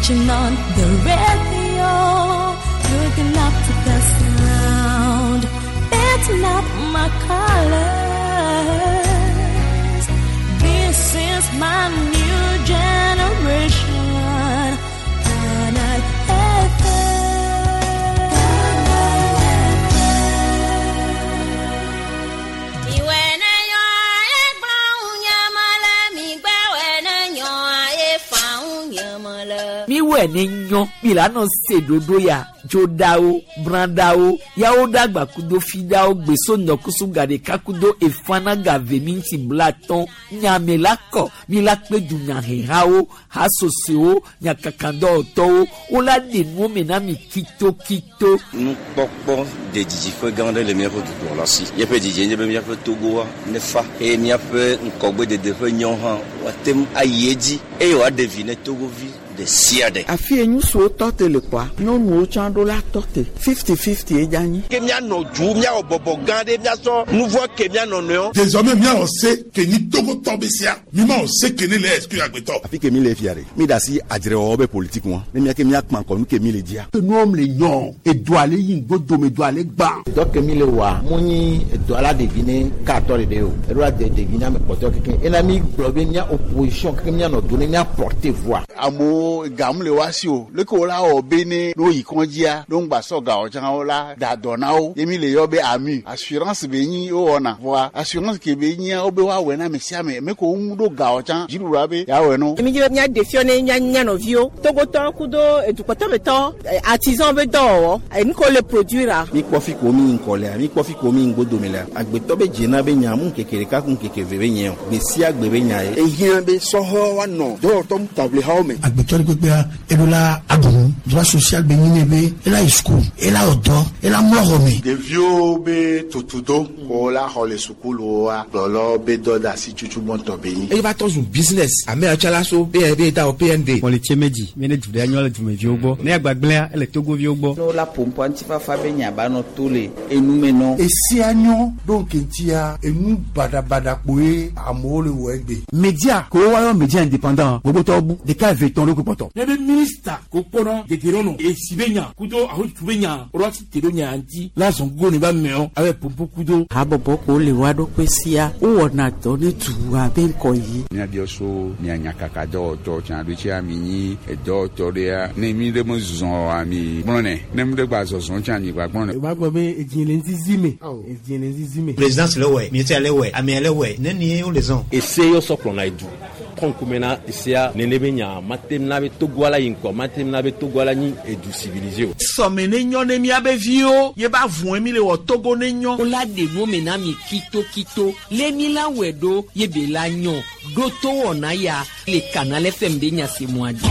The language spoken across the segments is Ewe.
Switching on the radio, looking up to the sound. That's not my colors. This is my new generation. Canal Miwɔe ne nyɔ mi la nɔ se ɖoɖo ya dzoɖawo brãɖawo yawo ɖagba kudo fiɖawo gbeso ŋdɔkusu gaɖeka kudo efana gave minti blatɔn nyame la kɔ mi la kpe dunyahehawo hasosowo nyakakadɔwɔtɔwo wola ɖe nuwo me na mi kitokito. Nukpɔkpɔ de didiƒe gã aɖe le míaƒe dukplɔla si. Míaƒe didie nye be míaƒe Togoa nefa eye míaƒe ŋkɔgbedede ƒe nyɔ hã woate ŋu ayi edzi eye wòaɖe vi ne Togovi ɖe sia ɖe. Afi ye ŋutsuwo tɔ te le kpɔa, nyɔnuwo tsã ɖo la tɔ te. 50-50 ye dze anyi. Ke míanɔ du, míawɔ bɔbɔ gã ɖe, míasɔ nu vɔ̃ ke mía nɔnɔewo. Désormais míawɔ se ke nyi Togotɔ be sia. Mi mawɔ se ke ne le exclure agbetɔ. Afi ke mi le fia ɖe, mi ɖe asi adzrewɔwɔ be politique ŋua, ne mía ke mía kpã kɔ nu ke mi le dzia. Enuwo le nyɔ, edoa le yi ŋgbodome, edoa le gbã. Dɔ ke mi le wɔa, mu nyi edoa la ɖevi ne katɔ ɖeɖe o. Eɖo la de ɖevi na ame kpɔtɔewo kekeŋ. Ena mi gblɔ be mía opposition kekeŋ míanɔ do ne mía porter voix. Amewo gamu le woa si o. Leke wola wɔ be ne ne woyi kɔdzia, ne woŋgba sɔ ga o tsã wola da dɔ na wo. Ye mi le yɔ be AMU. Assurance be nyi wowɔna. Vɔa assurance ke be nyia wobe woawɔe na ame sia ame. Ame ke woŋu ɖo ga o tsã, dziɖuɖua be yeawɔe na wo. Mi dzi be míaɖe fiɔ ne mía mía nɔviwo, Togotɔwo kudo edukpɔtɔmetɔwo, artisan be dɔwɔwɔ, enu ke wole produire-a. Mi kpɔ fi ko mi yi ŋkɔ lea, mi kpɔ fi ko mi yi ŋgbodome lea, agbetɔ be dzena be nya mu ŋkeke ɖeka ku ŋkeke eve be nye o, gbe sia gbe be nya ye. Ehiã be sɔhɛwo woanɔ dɔwɔtɔ ŋutaʋlihawo me. Agbetɔ ɖe kpekpea, eɖo la aɖu nu. Droit social be nyi nɛ be ela yi suku, ela wɔ dɔ, ela mlɔ xɔ me. Ɖeviwo be tutudo ko la xɔ le sukuluwoa, kplɔlawo be dɔdeasi tutu gbɔntɔ be nyi. Eye va trɔ zu business. Ame ya tsã la so be be da wɔ PND. Mɔli tse medzi mi ne du ɖe anyɔ le dumeviwo gbɔ. Ne agbagblẽa ele Togoviwo gbɔ. Ne wola ƒoƒua ŋutifafa be nya ba nɔ to le enu me nɔ. Esia nyɔ ɖo ŋkeŋtia enu baɖabaɖa kpoe amewo le wɔ egbe. Media ke woayɔ media indépendant gbogbotɔwo bu ɖeka eve tɔn ɖokui kpɔtɔ. Ne be minista ko kpɔnɔ dedienɔnɔ esi be nya kudo ahotutu be nya woɖo asi te ɖo nya ŋuti la zɔn gogo ne ba meɔ abe pompo kudo. Habɔbɔ ko le woa ɖokui sia wowɔna dɔ ne dua be ŋkɔ yi. Míabiɔ so mia nyakaka dɔwɔtɔ tsã ɖo tsia mi nyi edɔwɔtɔ ɖea ne mi ɖe me zɔ oa mi gblɔnɛ ne mi ɖe gba zɔzɔ tsã mi gba gblɔnɛ. Wòva gblɔ be edzi le ŋzizi me, edzi le ŋzizi me. Présidence le wɔe, ministère le wɔe, amea le wɔe, nenie wole zɔn. Ese yɔ sɔ kplɔna edu. Kɔ ŋkume na esea nene be nya mate na be Togoa la yi ŋkɔ, mate na be Togoa la nyi edu civilisé o. Sɔme ne nyɔ ne míabe viwo ye ba vɔe mi le wɔ Togo ne nyɔ. Wola ɖe nuwo me na mi kitokito le mi la wɔe ɖo ye be la nyɔ ɖo to wɔna ya le Canal FM be nya se mɔa dzi.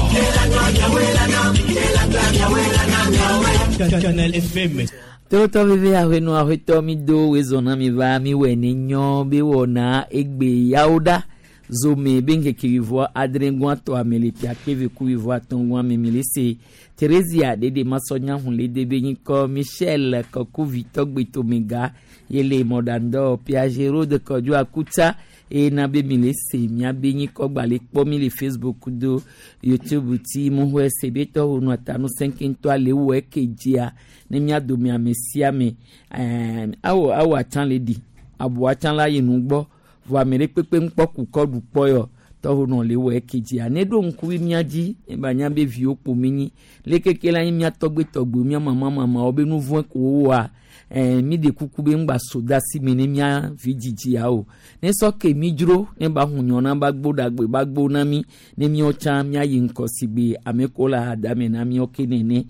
Canal FM. Tolotɔ veve aʋenɔ aʋetɔ mi do wezɔ na mi va mi wɔe ne nyɔ be wɔna egbe yawo ɖa. Zome be ŋkeke wuievɔ adrẽ tɔ ame le ƒe akpe eve ku wuievɔ atɔ̃ gɔa me mi le se Theresia ɖeɖe masɔnya hun le de be nyikɔ Michel Kɔkuvi tɔgbetomega ye le mɔɖaŋdɔ Piaget de Kɔdzo Akutsa eye na be mi le se miabe nyikɔ gba le kpɔ mi le Facebook do YouTube ti muxɔe se be tɔwo nu atanu sɛnkɛntɔ le wɔ eke dzia ne mia dome ame sia ame ɛɛ awɔ awɔ atsã le ɖi abo atsã la yi nu gbɔ vɔ ame ɖe kpekpe ŋkpɔ kukɔ ɖu kpɔ yɔ tɔwo nɔ le wɔ eke dzia ne ɖo ŋkuvi mia dzi eba nya be viwo kpo mi nyi le keke la nyi mia tɔgbe tɔgbe mia mama mamawo be nu vɔe ko wowɔa ɛɛ mi ɖe kuku be ŋgba so da si me ne mia vi dzidzia o ne sɔ ke mi dzro ne ba hu nyɔ na ba gbo ɖagbe ba gbo na mi ne miawo tsã miayi ŋkɔ si gbe ame ko le hadame na miawo ke nene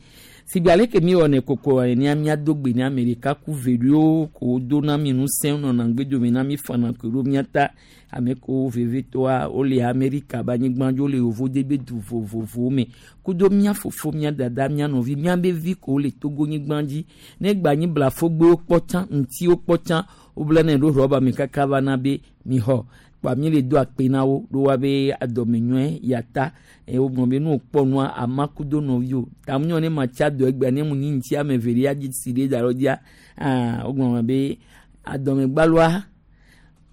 sigbe ale ke mi wɔnɛ koko enea miado gbe ne ame ɖeka ku ve ɖewo ko do na mi ŋusẽ nɔna ŋgbedome na mi fana ko ɖo mia ta ame ko vevitɔa wole Amerika be anyigba dzi wole yevuwo be du vovovowo me kudo mía fofo mía dada mía nɔvi mía be vi ko wole Togo nyigba dzi ne gba anyi blafogbewo kpɔ tsã ŋutiwo kpɔ tsã woblanɛ ɖo rɔba me kaka va na be mixɔ kpa mi le do akpe na wo ɖo wa be adɔme nyɔe yata eye wogblɔ be nu wokpɔ nua ama kudo nɔviwo ta mu nyɔ ne ma tsa dɔ egbea ne mu nyi ŋuti ame eve ɖe adzi si ɖe da ɖo dzia aa wogblɔ be adɔmegbaloa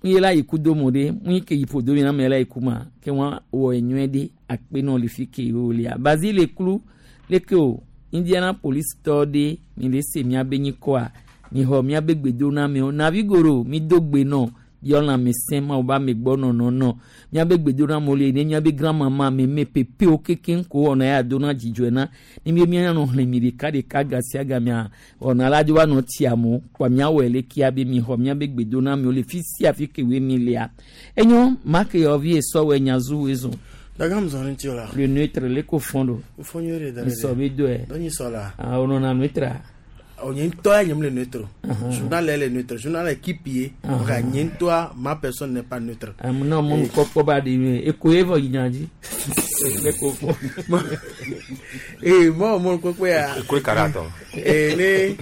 Ye la yi ku do mo ɖe mu yi ke yi ƒo do mi na me la yi ku ma ke wa wɔ enyuie ɖe akpe nɔ le fi ke wo lia Basile klu leke o Indianapolis tɔ ɖe mi le se miabe nyikɔa mi xɔ miabe gbedoname navigoro mi do gbe nɔ biɔ lãmesẽ mawu be amegbɔ nɔnɔ nɔ miabe gbedonamewo le ne miabe grand-mama meme pepewo kekeŋ ko wɔna ya dona dzidzɔe na ne mi mianɔ xlẽ mi ɖeka ɖeka ga sia gamea wɔna la dzo va nɔ tsi amewo kpɔ miawɔe le kia be mi xɔ miabe gbedonamewo le fi sia fi ke woe mi lia enyo make yɔvi esɔwɔ nyazu woe zɔn. Dagam zɔn ŋuti o la. Le neutre le ko fɔn do. Fɔn nyuie de da ɖe. Nsɔ bi do yɛ. Dɔ nyi sɔ la. Ah o nɔna neutre. O nye ŋutɔ ya nye mu le neutre. Journal le neutre. Journal équipe ye. Nka nye ŋutɔa ma personne n'est pas neutre. Amu na mɔnu kpɔkpɔ ba de ye eko ye vɔ yina dzi. Le ko fɔ. Ee mɔ mɔnu kpɔkpɔ ya. Eko ye kara tɔ. Ee ne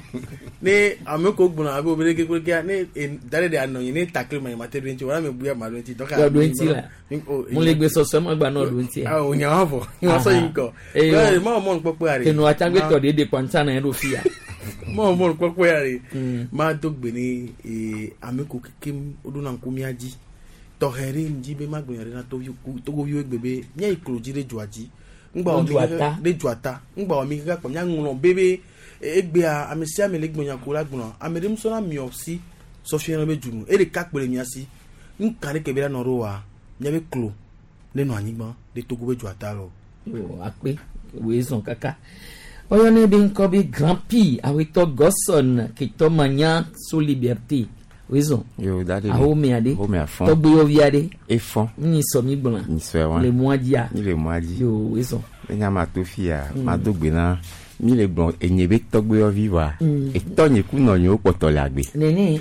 ne ame ko gbɔna abe obe ɖeke kple ne da ɖe de anɔ nyi ne takle ma nye ma te ɖo ŋuti wala me buya ma ɖo ŋuti. Yɔ ɖo ŋuti la. Mo le gbe sɔsɔ ma gba nɔ ɖo ŋuti. Awo nya wa vɔ. Wa sɔ yi ŋkɔ. Ee mɔ mɔnu kpɔkpɔ ya de. Kenu atsagbetɔ de de kpɔntsa na ye ɖo fia. Mɔ mɔnu kpɔkpɔ ya de. Ma do gbe ne ee ame ko kekem woɖona ŋku mía dzi. Tɔxɛ ɖe ŋdzi be ma gblɔ nya ɖe na togoviwo gbe be mía yi klo dzi ɖe dzoa dzi. Ŋgba wɔ mi ɖe dzoa ta. Ŋgba wɔ mi kaka kpɔ mía ŋlɔ bebe egbea ame sia ame le gblɔ nya ko la gblɔ ame ɖe musɔ na miɔ si sɔfia be dzunu e ɖeka kpe le mia si ŋka ɖe ke be la nɔ ɖo wa miabe klo ne nɔ anyigba ɖe Togo be dzoa ta lɔ. Yo akpe woe zɔn kaka oyɔnɛ be ŋkɔ be Grand P awetɔ Gɔsɔn ketɔ manya so liberté woe zɔn. Yo da de. Awo mea ɖe. Awo mea fɔn. Tɔgbeyɔvi aɖe. Efɔn. Nyi sɔ mi gblɔna. Nyi sɔe wa. Le mɔa dzia. Mi le mɔa dzi. Yo woe zɔn. Enya ma to fia ma do gbe na mi le gblɔ enye be tɔgbeyɔvi wa. Etɔ nye ku nɔ nye wo kpɔtɔ le agbe. Nene.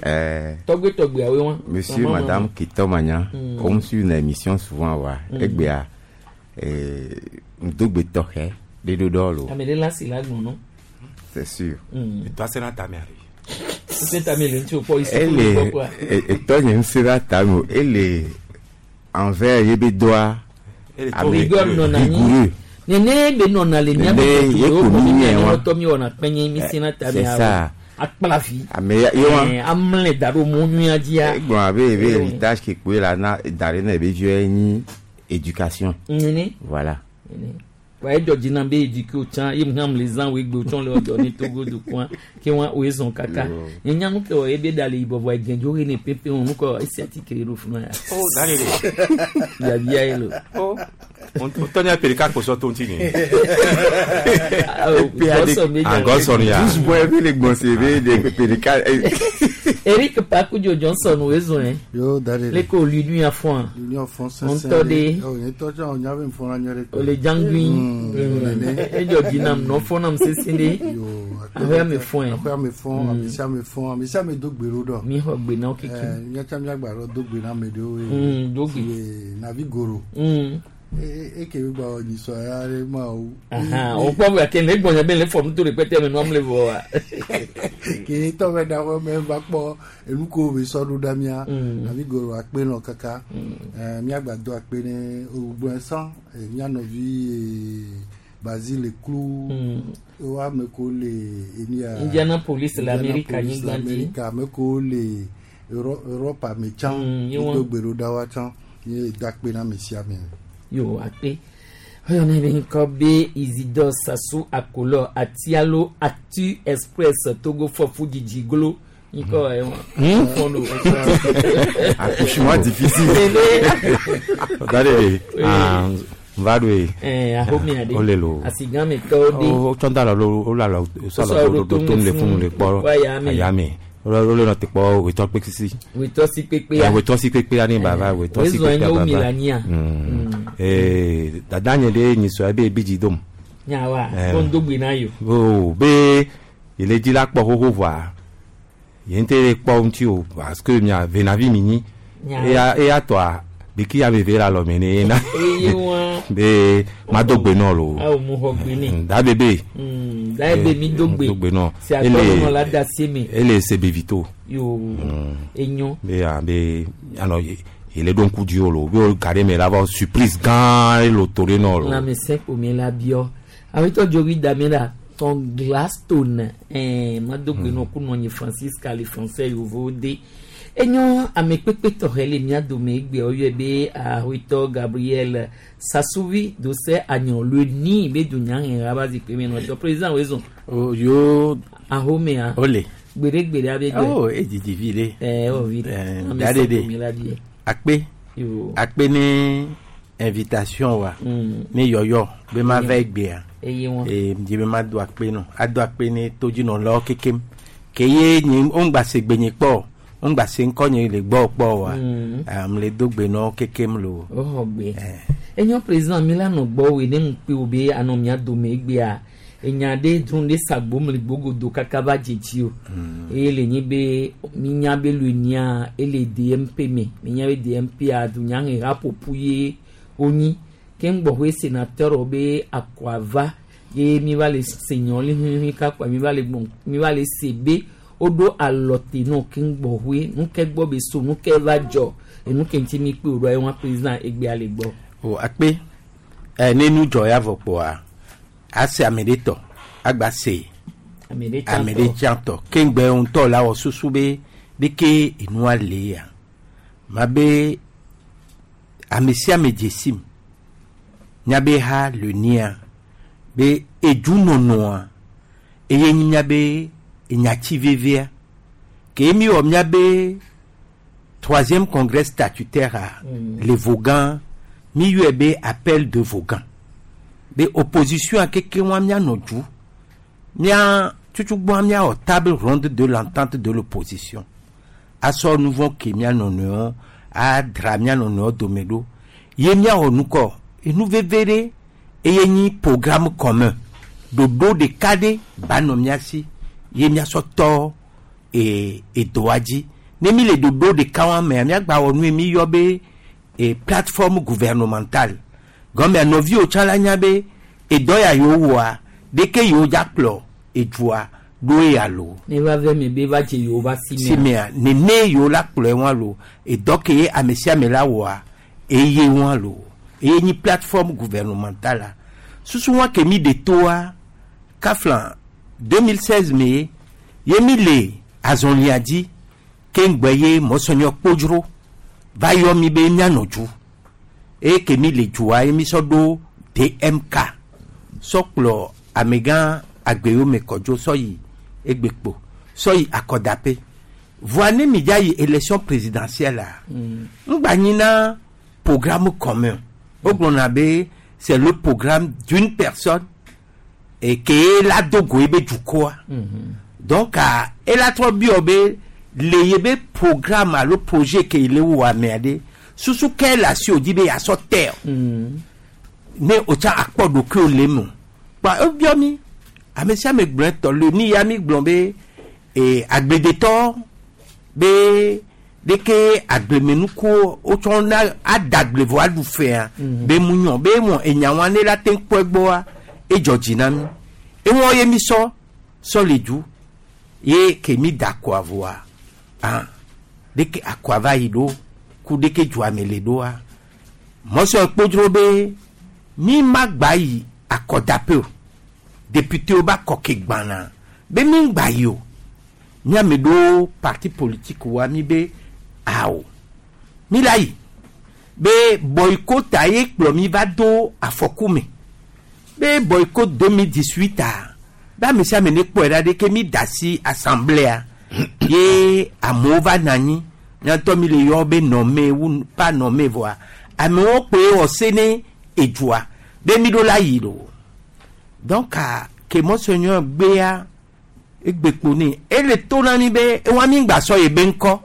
Tɔgbe tɔgbeawoe wa. Monsieur madame Ketɔ Manya. On me suit une émission souvent wa. Egbea ŋdogbe tɔxɛ ɖe ɖo ɖɔ lo. Ame ɖe la si la gbɔn nɔ. C'est sûr. Etɔ ase na tame ari. Se tame le ŋuti o kpɔ isi Ele etɔ nye ŋusẽ la tame o ele envers ye be doa. Rigueur nɔna anyi. Nene be nɔna le miabe ye ko mi miɛ wa. Tɔ mi wɔna kpɛnye mi se na tame C'est ça. Akpla vi. Ame ya ye wa. Amle da ɖo mɔ nyuia dzia. Egblɔ abe ebe héritage ke kpoe la na da ɖe na ebe viwo nyi éducation. Nene. Voilà. Wa ye dzɔdzi na be éduqué o tsã ye mu hã le zã wo egbe o tsã le ɔdɔ ne Togo dukɔa ke wa wo ezɔn kaka. Nye nya nu ke wɔ ebe da le yibɔ vɔ egɛndzo he ne pepe wo nukɔ esi atike ɖo funu ya. Oh da le de. Biabia ye lo. Oh. O tɔ nya perika kposɔ to ŋuti ni. Ah Gɔsɔn ya. Douze mois ebe le gbɔn se ebe de perika. Eric Pakudzo Johnson wo ezɔn yɛ. Yo da de. Le ko l'union afɔn. L'union afɔn sɛnsɛn. Ŋutɔ de. O ye tɔ tsã o nya be nfɔna nyuie ɖe. O le dzangui. Edzɔ dzi nam nɔ fɔ nam sese ɖe. Aƒea me fɔn yɛ. Aƒea me fɔn ame sia ame fɔn ame sia ame do gbe ɖo ɖɔ. Mi xɔ gbe na wo keke. Míatsa míagba ɖɔ do gbe na ame ɖewo ye. Do gbe. Navi goro. Eke mi gba nyisɔ ya ɖe ma o. O kpɔ be ke ne gbɔnya be le fɔ nuto ɖe kpɛtɛ me nua le vɔ wa. Ke tɔ bɛ da xɔ mɛ va kpɔ enu ko be sɔ ɖo ɖa mía. Navi goro akpe nɔ kaka. Míagba do akpe ne ogbɔn sã mía nɔvi Basile Klu. Wo ame ko le enia. Indianapolis le Amerika nyigba dzi. Amerika ame ko le Europa me tsã. Do gbe ɖo ɖa wa tsã. Ye do akpe na ame sia ame. Yo akpe oyɔnɛ be ŋkɔ be Isidore Sasu Akolɔ Atialo Actu Express Togo fɔfu dzidzi glo ŋkɔ ɛwɔn fɔn do. Accouchement difficile. Da de nva do ye. Ahomia de O le lo. Asigame tɔwo de. O tsɔn da la lo o la la o sɔ la lo do to le funu le kpɔ ayame. O le nɔ te kpɔ wetɔ kpe sisi. Wetɔ si kpekpe ya. Wetɔ si kpekpe ya ne baba wetɔ si kpekpe ya baba. Dada nye ɖe nyisɔ ebe ebi dzi dom. Nyawa ko ŋdo gbe na yo. O be ele dzi la kpɔ xoxo vɔa ye ŋutɔ le kpɔ ŋuti o parce que mia venavi mi nyi. Eya tɔa biki ya veve la lɔme ne yena. Be ma do gbe nɔ lo. Awo mu xɔ gbe ne. Da bebe. Da ebe mi do gbe. Do gbe nɔ. Si atɔ nɔ la da se me. Ele se bevito. Yo enyo. Be ya be anɔ ele ɖo ŋku dzi o lo be ga ɖe me la vɔ surprise gã le to ɖe nɔ lo. Lãmesẽ ƒome la biɔ. Awetɔ dzovi dame la tɔn Gladstone ma do gbe nɔ ku nɔ nyi Francisca le français yovo de. Enyo amekpekpe tɔxɛ le mía dome egbea woyɔe be Ahoetɔ Gabriel Sasuvi Dose Anyɔlue be dunyaheha ba zikpui me nɔtɔ. Président wezɔn. O yo. Ahomea. Ole. Gbeɖegbeɖe abe gbe. Oh, edidi vi ɖe. Ɛɛ o vi ɖe. Ame Da ɖe sɔgbɔ mi la ɖe. vie. Akpe. Yo. Akpe ne invitation wa. Ne yɔyɔ be ma va egbea. Eye wɔn. Ee dzi be ma do akpe nɔ. Ado akpe ne todzinɔlawo kekem. Ke ye nye ŋgba se gbe nye kpɔ. Ŋgba se ŋkɔ nye le gbɔ kpɔ wa. Am le do gbe nɔ kekem lo. Woxɔ gbe. Enyo président mi la nɔ gbɔ woe ne ŋukpe wo be anɔ mía dome egbea. Enya ɖe dron ɖe sagbo mli gbogodo kaka va dze dzi o. Eye le nyi be minya be luenia ele DMP me. Minya be DMP a dunyaheha ƒoƒu ye wonyi. Ke ŋgbɔxɔe sénateur wo be akɔava ye mi va le se nyɔ li huihui kakpa mi va le gbɔn mi va le se be woɖo alɔ te nɔ ke ŋgbɔxɔe nuke gbɔ be so nuke va dzɔ enu ke ŋuti mi kpe wo ɖo ye président egbea le gbɔ. O akpe. Ɛ ne nu dzɔ ya vɔ kpoa ase ame ɖe tɔ agba se Ame ɖe tsã ame ɖe tɔ. tsã tɔ ke ŋgbɛ ŋutɔ la wɔ susu be ɖeke enua le ya ma be ame sia ame dze sim miabe ha le nia be edunɔnɔa eye nyi miabe enyati vevia ke mi wɔ miabe troisième congrès statutaire a le Vogan mi yɔe be appel de Vogan be opposition a keke wa mianɔ du mia tutugbɔa miawɔ table ronde de l'entente de l'opposition asɔ nuvɔ ke mia nɔnɔewo adra mia nɔnɔewo dome ɖo ye miawɔ nukɔ enu veve ɖe eye nyi programme commun ɖoɖo ɖeka ɖe ba nɔ mia si ye miasɔ tɔ e edoa dzi ne mi le ɖoɖo ɖeka wa mea miagba wɔ nu ye mi yɔ be e plateforme gouvernementale gɔmea nɔviwo tsã la nya be edɔ ya yewo wɔa ɖeke yewo dza kplɔ edua ɖo eya lo Ne va ve mi be va dze yewo va si mea. si mea nene yewo la kplɔe wa lo edɔ ke ye ame sia ame la wɔa eye wa lo eye nyi plateforme gouvernementale la susu wa ke mi de toa kafla 2016 me ye mi le azɔlia dzi ke ŋgbɛ ye mɔsɔnyɔ kpodzro va yɔ mi be mianɔ dzu eye ke mi le dzua ye mi sɔ ɖo DMK sɔ kplɔ amegã agbewo me kɔdzo sɔ yi egbekpo sɔ yi akɔdaƒe voa ne mi dza yi élection présidentielle la ŋgba nyi na programme commun wogblɔna be c'est le programme d'une personne et ke la do go ebe dukɔa donc ah, ela trɔ biɔ be le ye be programme alo projet ke le wɔ amea ɖe susu ke le asi o dzi be yeasɔ tɛ o ne o tsa akpɔ ɖokuiwo le eme o kpa ebiɔ mi ame sia ame gblɔe tɔ le ni ya mi gblɔ be ee agbledetɔ be ɖeke agblemenukuwo wotsɔ na ada agble vɔ aɖu fea be mu nyɔ be mɔ enyawa ne la te kpɔ egbɔa edzɔ dzi na mi ewɔ ye mi sɔ sɔ le du ye ke mi da akɔa vɔa ah ɖeke akɔa va yi ɖo ku ɖeke dzoa me le ɖoa mɔsɔ kpodzro be mi ma gba yi akɔdaƒe o député wo ba kɔ ke gbana be mi gba yi o miame ɖo parti politique wa mi be awo mi la yi be boycott ye kplɔ mi va do afɔku me be boycott 2018 a be ame sia ame ne kpɔe ɖa ɖe ke mi da asi assemblée ye amewo va na anyi miatɔ mi le yɔ be nɔme wu pa nɔme vɔa amewo kpoe wɔ se ne edua be mi ɖo la yi ɖo donc ah, ke monseigneur gbea egbekpo ne ele to na mi be ewa mi gba sɔ ye be ŋkɔ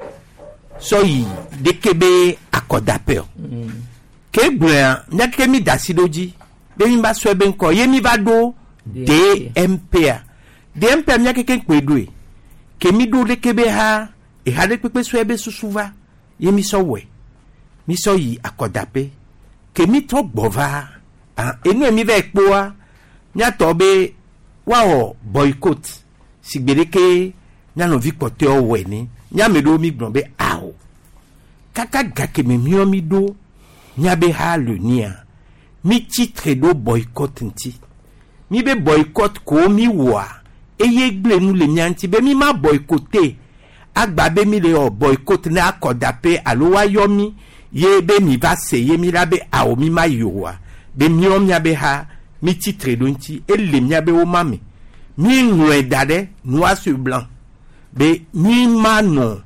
sɔ yi ɖeke be akɔdaƒe o ke gblɔa miake mi da asi ɖo dzi be mi va sɔe be ŋkɔ ye mi va ɖo DMP a DMP a mia keke kpoe ɖoe ke mi ɖo ɖeke be ha eha ɖe kpekpe sɔe be susu va ye mi sɔ wɔe mi sɔ yi akɔdaƒe ke mi trɔ gbɔ va ah enu mi va yi kpoa miatɔ be woawɔ boycott si gbe ɖeke mianɔvi kpɔtɔewo wɔe ne miame ɖewo mi gblɔ be awo kaka gake me miɔ mi ɖo miabe ha le nia mi tsitre ɖo boycott ŋuti mi be boycott ko mi wɔa eye gble nu le mia ŋuti be mi ma boycotté Agba be mi le wɔ boycott ne akɔdaƒe alo woayɔ mi ye be mi va se ye mi la be awo mi ma yi oa be miɔ miabe ha mi tsitre ɖo ŋuti ele miabe woma me mi ŋlɔe da ɖe noir sur blanc be mi ma nɔ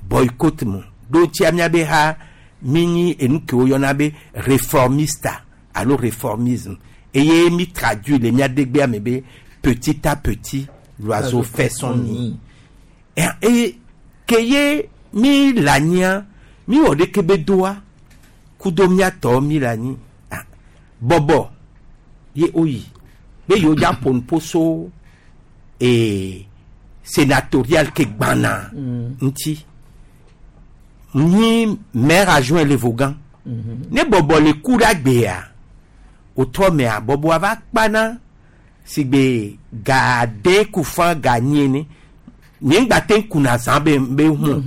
boycott me ɖo ŋutia miabe ha mi nyi enu ke woyɔna be réformista alo réformisme eye mi traduit le mia degbea me be petit à petit l'oiseau fait son nid eye ke ye mi le anyia mi wɔ ɖeke be doa kudo miatɔ mi le anyi ah, bɔbɔ ye woyi be yewo dza ƒo nuƒo so ee sénatorial ke gbana ŋuti nyi maire adjoint le Vogan ne bɔbɔ le ku ɖe agbea wòtrɔ mea bɔbɔa va kpana si gbe ga de kufa ga nyi ene nye ŋgba te kuna zã be be hu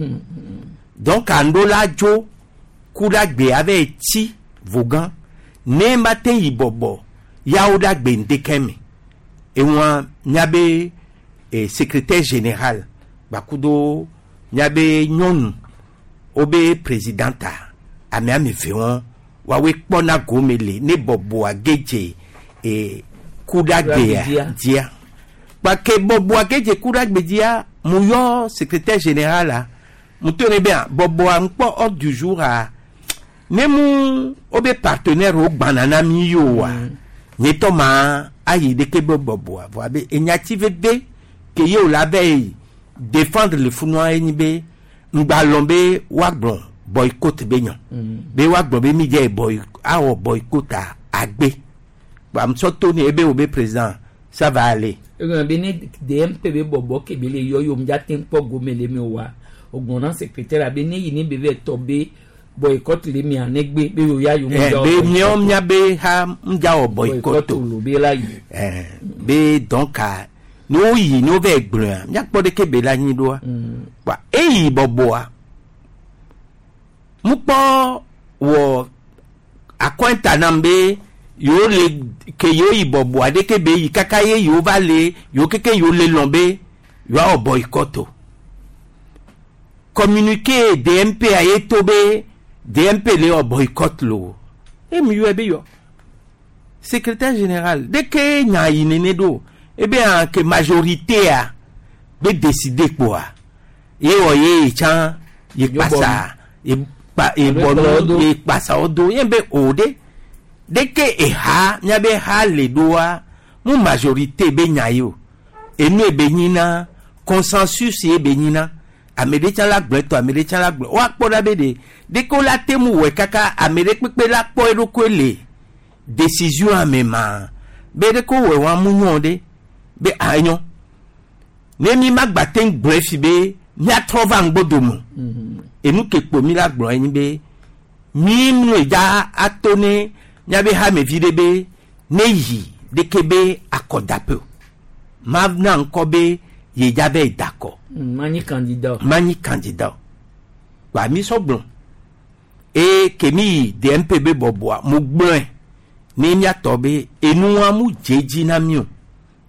donc ando la dzo ku ɖe agbea va tsi Vogan ne ma te yi bɔbɔ yawo ɖe agbe ŋdeke me eŋua miabe eh, secrétaire général gbakudo miabe nyɔnu wobe présidente ame ame eve wɔn woawoe kpɔna gome le ne bɔbɔa gedze eh, ku ɖe agbea dzia kpake bɔbɔa gedze ku ɖe agbe dzia mu yɔ secrétaire général a mu to ne be a bɔbɔa ŋkpɔ ordre du jour a ne mu wobe partenaire wo gbana na mi yi oa nye tɔ ma ayi ɖeke be bɔbɔa vɔa be enyati veve ke ye wòle abe yi défendre le funua ye nyi be ŋgba lɔn be woagblɔ boycott be nyɔ be woagblɔ be mi dze boy awɔ boycott a agbe gbamsɔ to ne ebe wo be président ça va aller. Egɔme be ne DMP be bɔbɔ ke be le yɔ yom dza te kpɔ gome le me oa ogblɔ na secrétaire be ne yi ne be vɛ tɔ be boycott le mia negbe be yo ya yom Eh, be miawo miabe ha ŋdza wɔ boycott o. lo be la yi. Eh, be donc a ne woyi ne wova gblɔa miakpɔ ɖeke be la anyi ɖoa kpa eyi bɔbɔa mukpɔ wɔ akɔnta nam be yewo le ke yewo yi bɔbɔa ɖeke be yi kaka ye yewo va le yewo keke yewo le lɔn be yewoawɔ boycott o communiqué DMP a ye to be DMP le wɔ boycott lo emi yɔe be yɔ secrétaire général dès que nya yi nene ɖo ebe hã ke majorité a be décider kpoa ye wɔ ye tsã ye kpasa ye kpa ye bɔ nu ye kpasa wo do ye be o de dès que eha miabe ha le ɖoa mu majorité be nya ye o enu ebe nyina consensus ye be nyina ame ɖe tsã la gblɔ etɔ ame ɖe tsã la gblɔ woakpɔ ɖa be ɖe ɖeke wo la te mu wɔe kaka ame ɖe kpekpe la kpɔ eɖokui le décision ame ma be ɖeke wowɔe wa mu nyɔ ɖe be anyɔ ne mi ma gba te gblɔe fi be miatrɔ va ŋgbodome enu ke kpo mi la gblɔ enyi be mi nu dza ato ne miabe hamevi ɖe be ne yi ɖeke be akɔdaƒe o ma na ŋkɔ be ye dza be dakɔ manyi candidat. manyi candidat gba mi sɔ gblɔ eye ke mi yi DMP be bɔbɔa mo gblɔe ne miatɔ be enua mu dze dzi na mi o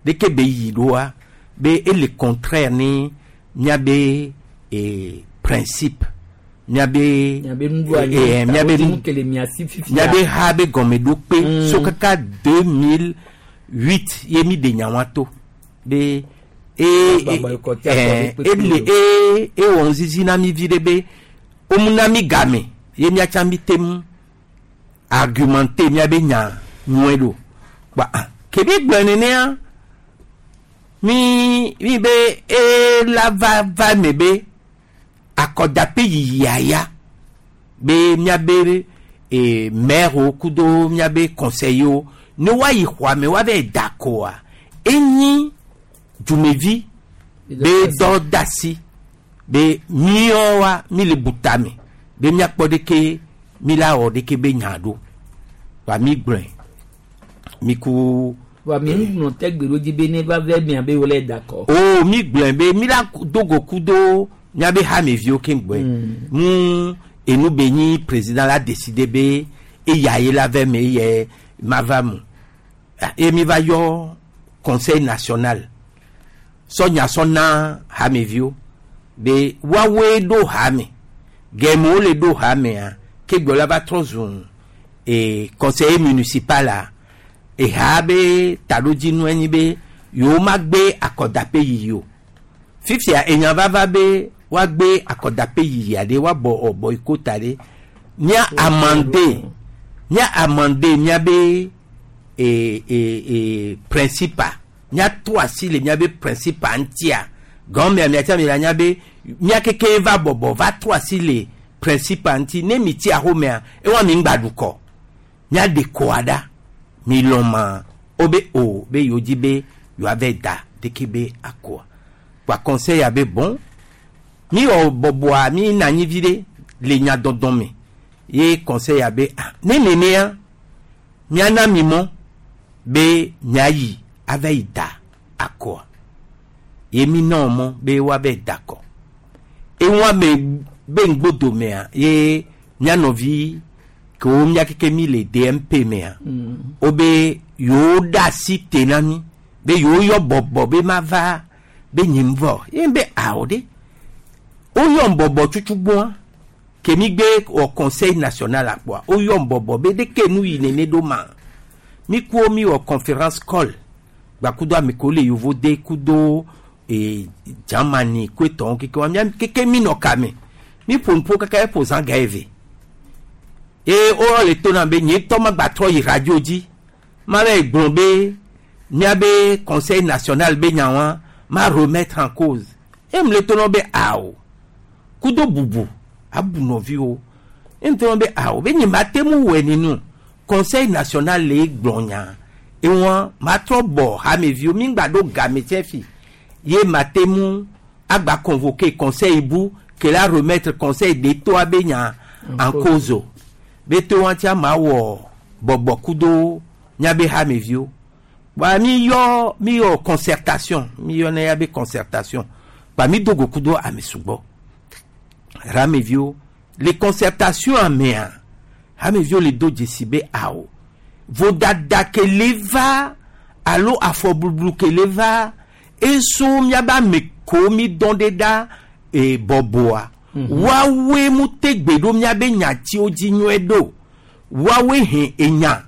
ɖeke be yi ɖoa be ele contraire ne miabe eh, principe miabe miabe nuɖoanyi eh, miabe nu kele mia si fifia. miabe ha be gɔmeɖokpe so kaka 2008 ye mi de nyawa to be e Agba boycott ya eh, kɔ ɖe kpekpe ele e ewɔ ŋzizi na mi vi ɖe be womuna mi game ye miatsa mi te ŋu argumenter miabe nya nyɔe ɖo kpa ah, kebi gblɔ nenea mi mi be ela va va me be akɔdaƒe yiyia ya be miabe e, maire wo kudo miabe conseiller wo ne woayi xɔa me woava da koa enyi dumevi be dɔ da si be miɔ wa mi le buta me be miakpɔ ɖeke mi la wɔ ɖeke be nya ɖo wa mi gblɔe mi ku wa mi ŋlɔ tɛ gbe ɖo dzi be ne va vɛ mia be wole dakɔ. o mi gblɔe be mi la do go kudo miabe hameviwo keŋ gbɔe mu enu be nyi président la décidé be eya ye la vɛ me eyɛ ma va mu Ah, ye mi va yɔ conseil national sɔnya sɔ na hameviwo Be woawoe ɖo hame. Gɛmɛ wole ɖo hamea, ke gblɔ la va trɔ zu e conseiller municipal a, eha be taɖodzinu enyi be yewo magbe akɔdaƒe yiyi o. Fifia enya vava be woagbe akɔdaƒe yiyi aɖe woabɔ ɔ boycott aɖe. Mía amende, mía amende míabe e e e principal. Míatrɔ asi le míabe principal ŋutia. Gɔmea miatsa mi la nya be mía keke va bɔbɔ va trɔ asi le principal ŋuti. Ne mi tsi axomea, ewa mi ŋgba ɖu kɔ. Míaɖe kɔa ɖa. Mi lɔ̃ ma wobe o be yewo dzi be yewoava da ɖeke be akɔa. Kpa conseil ya be bon. Mi wɔ bɔbɔa mi na anyi vi ɖe le nyadɔdɔ me. Ye conseil ya be ah ne nenea miana mi mɔ be miayi ava yi da akɔa. Ye mi na mɔ be woava da akɔ. Ewa me be ŋgbodomea ye mía nɔvi kewo mía keke mi le DMP mea wobe yewo ɖe asi te na mi be yewo yɔ bɔbɔ be mava be nye ŋvɔ ye be awo ɖe woyɔ bɔbɔ tutu gbɔa ke mi gbe wɔ conseil national akpɔa woyɔ bɔbɔ be ɖeke nu yi nene ɖo ma mi kuwo mi wɔ conférence call gbakudo ame kewo le yovo de kudo e Germany ku etɔwo keke wa mía keke mi nɔ kame mi ƒo nuƒo kaka eƒo zã ga eve ye woyɔ le to na be nye ŋutɔ magba trɔ yi radio dzi ma va yi gblɔ be míabe conseil national be nyawa ma remettre en cause ye mu le to na wo be awo kudo bubu abu nɔviwo ye mu to na wo be awo be nye ma te mu wɔe nenu conseil national le gblɔ nya ewa ma trɔ bɔ hameviwo mi ŋgba ɖo game tsɛ fi ye ma te mu agba convoquer conseil bu ke la remettre conseil d'État be nya en cause o be to wa tia ma wɔ bɔbɔ kudo míabe hameviwo wa mi yɔ mi yɔ concertation mi yɔ ne ya be concertation kpa mi do go kudo ame sugbɔ hameviwo le concertation amea hameviwo le do dzesi be awo vodada ke le va alo afɔblublu ke le va eso míabe ame ko mi dɔn ɖe ɖa e bɔbɔa woawoe mu te gbe ɖo míabe nyatiwo dzi nyuie ɖo woawoe he enya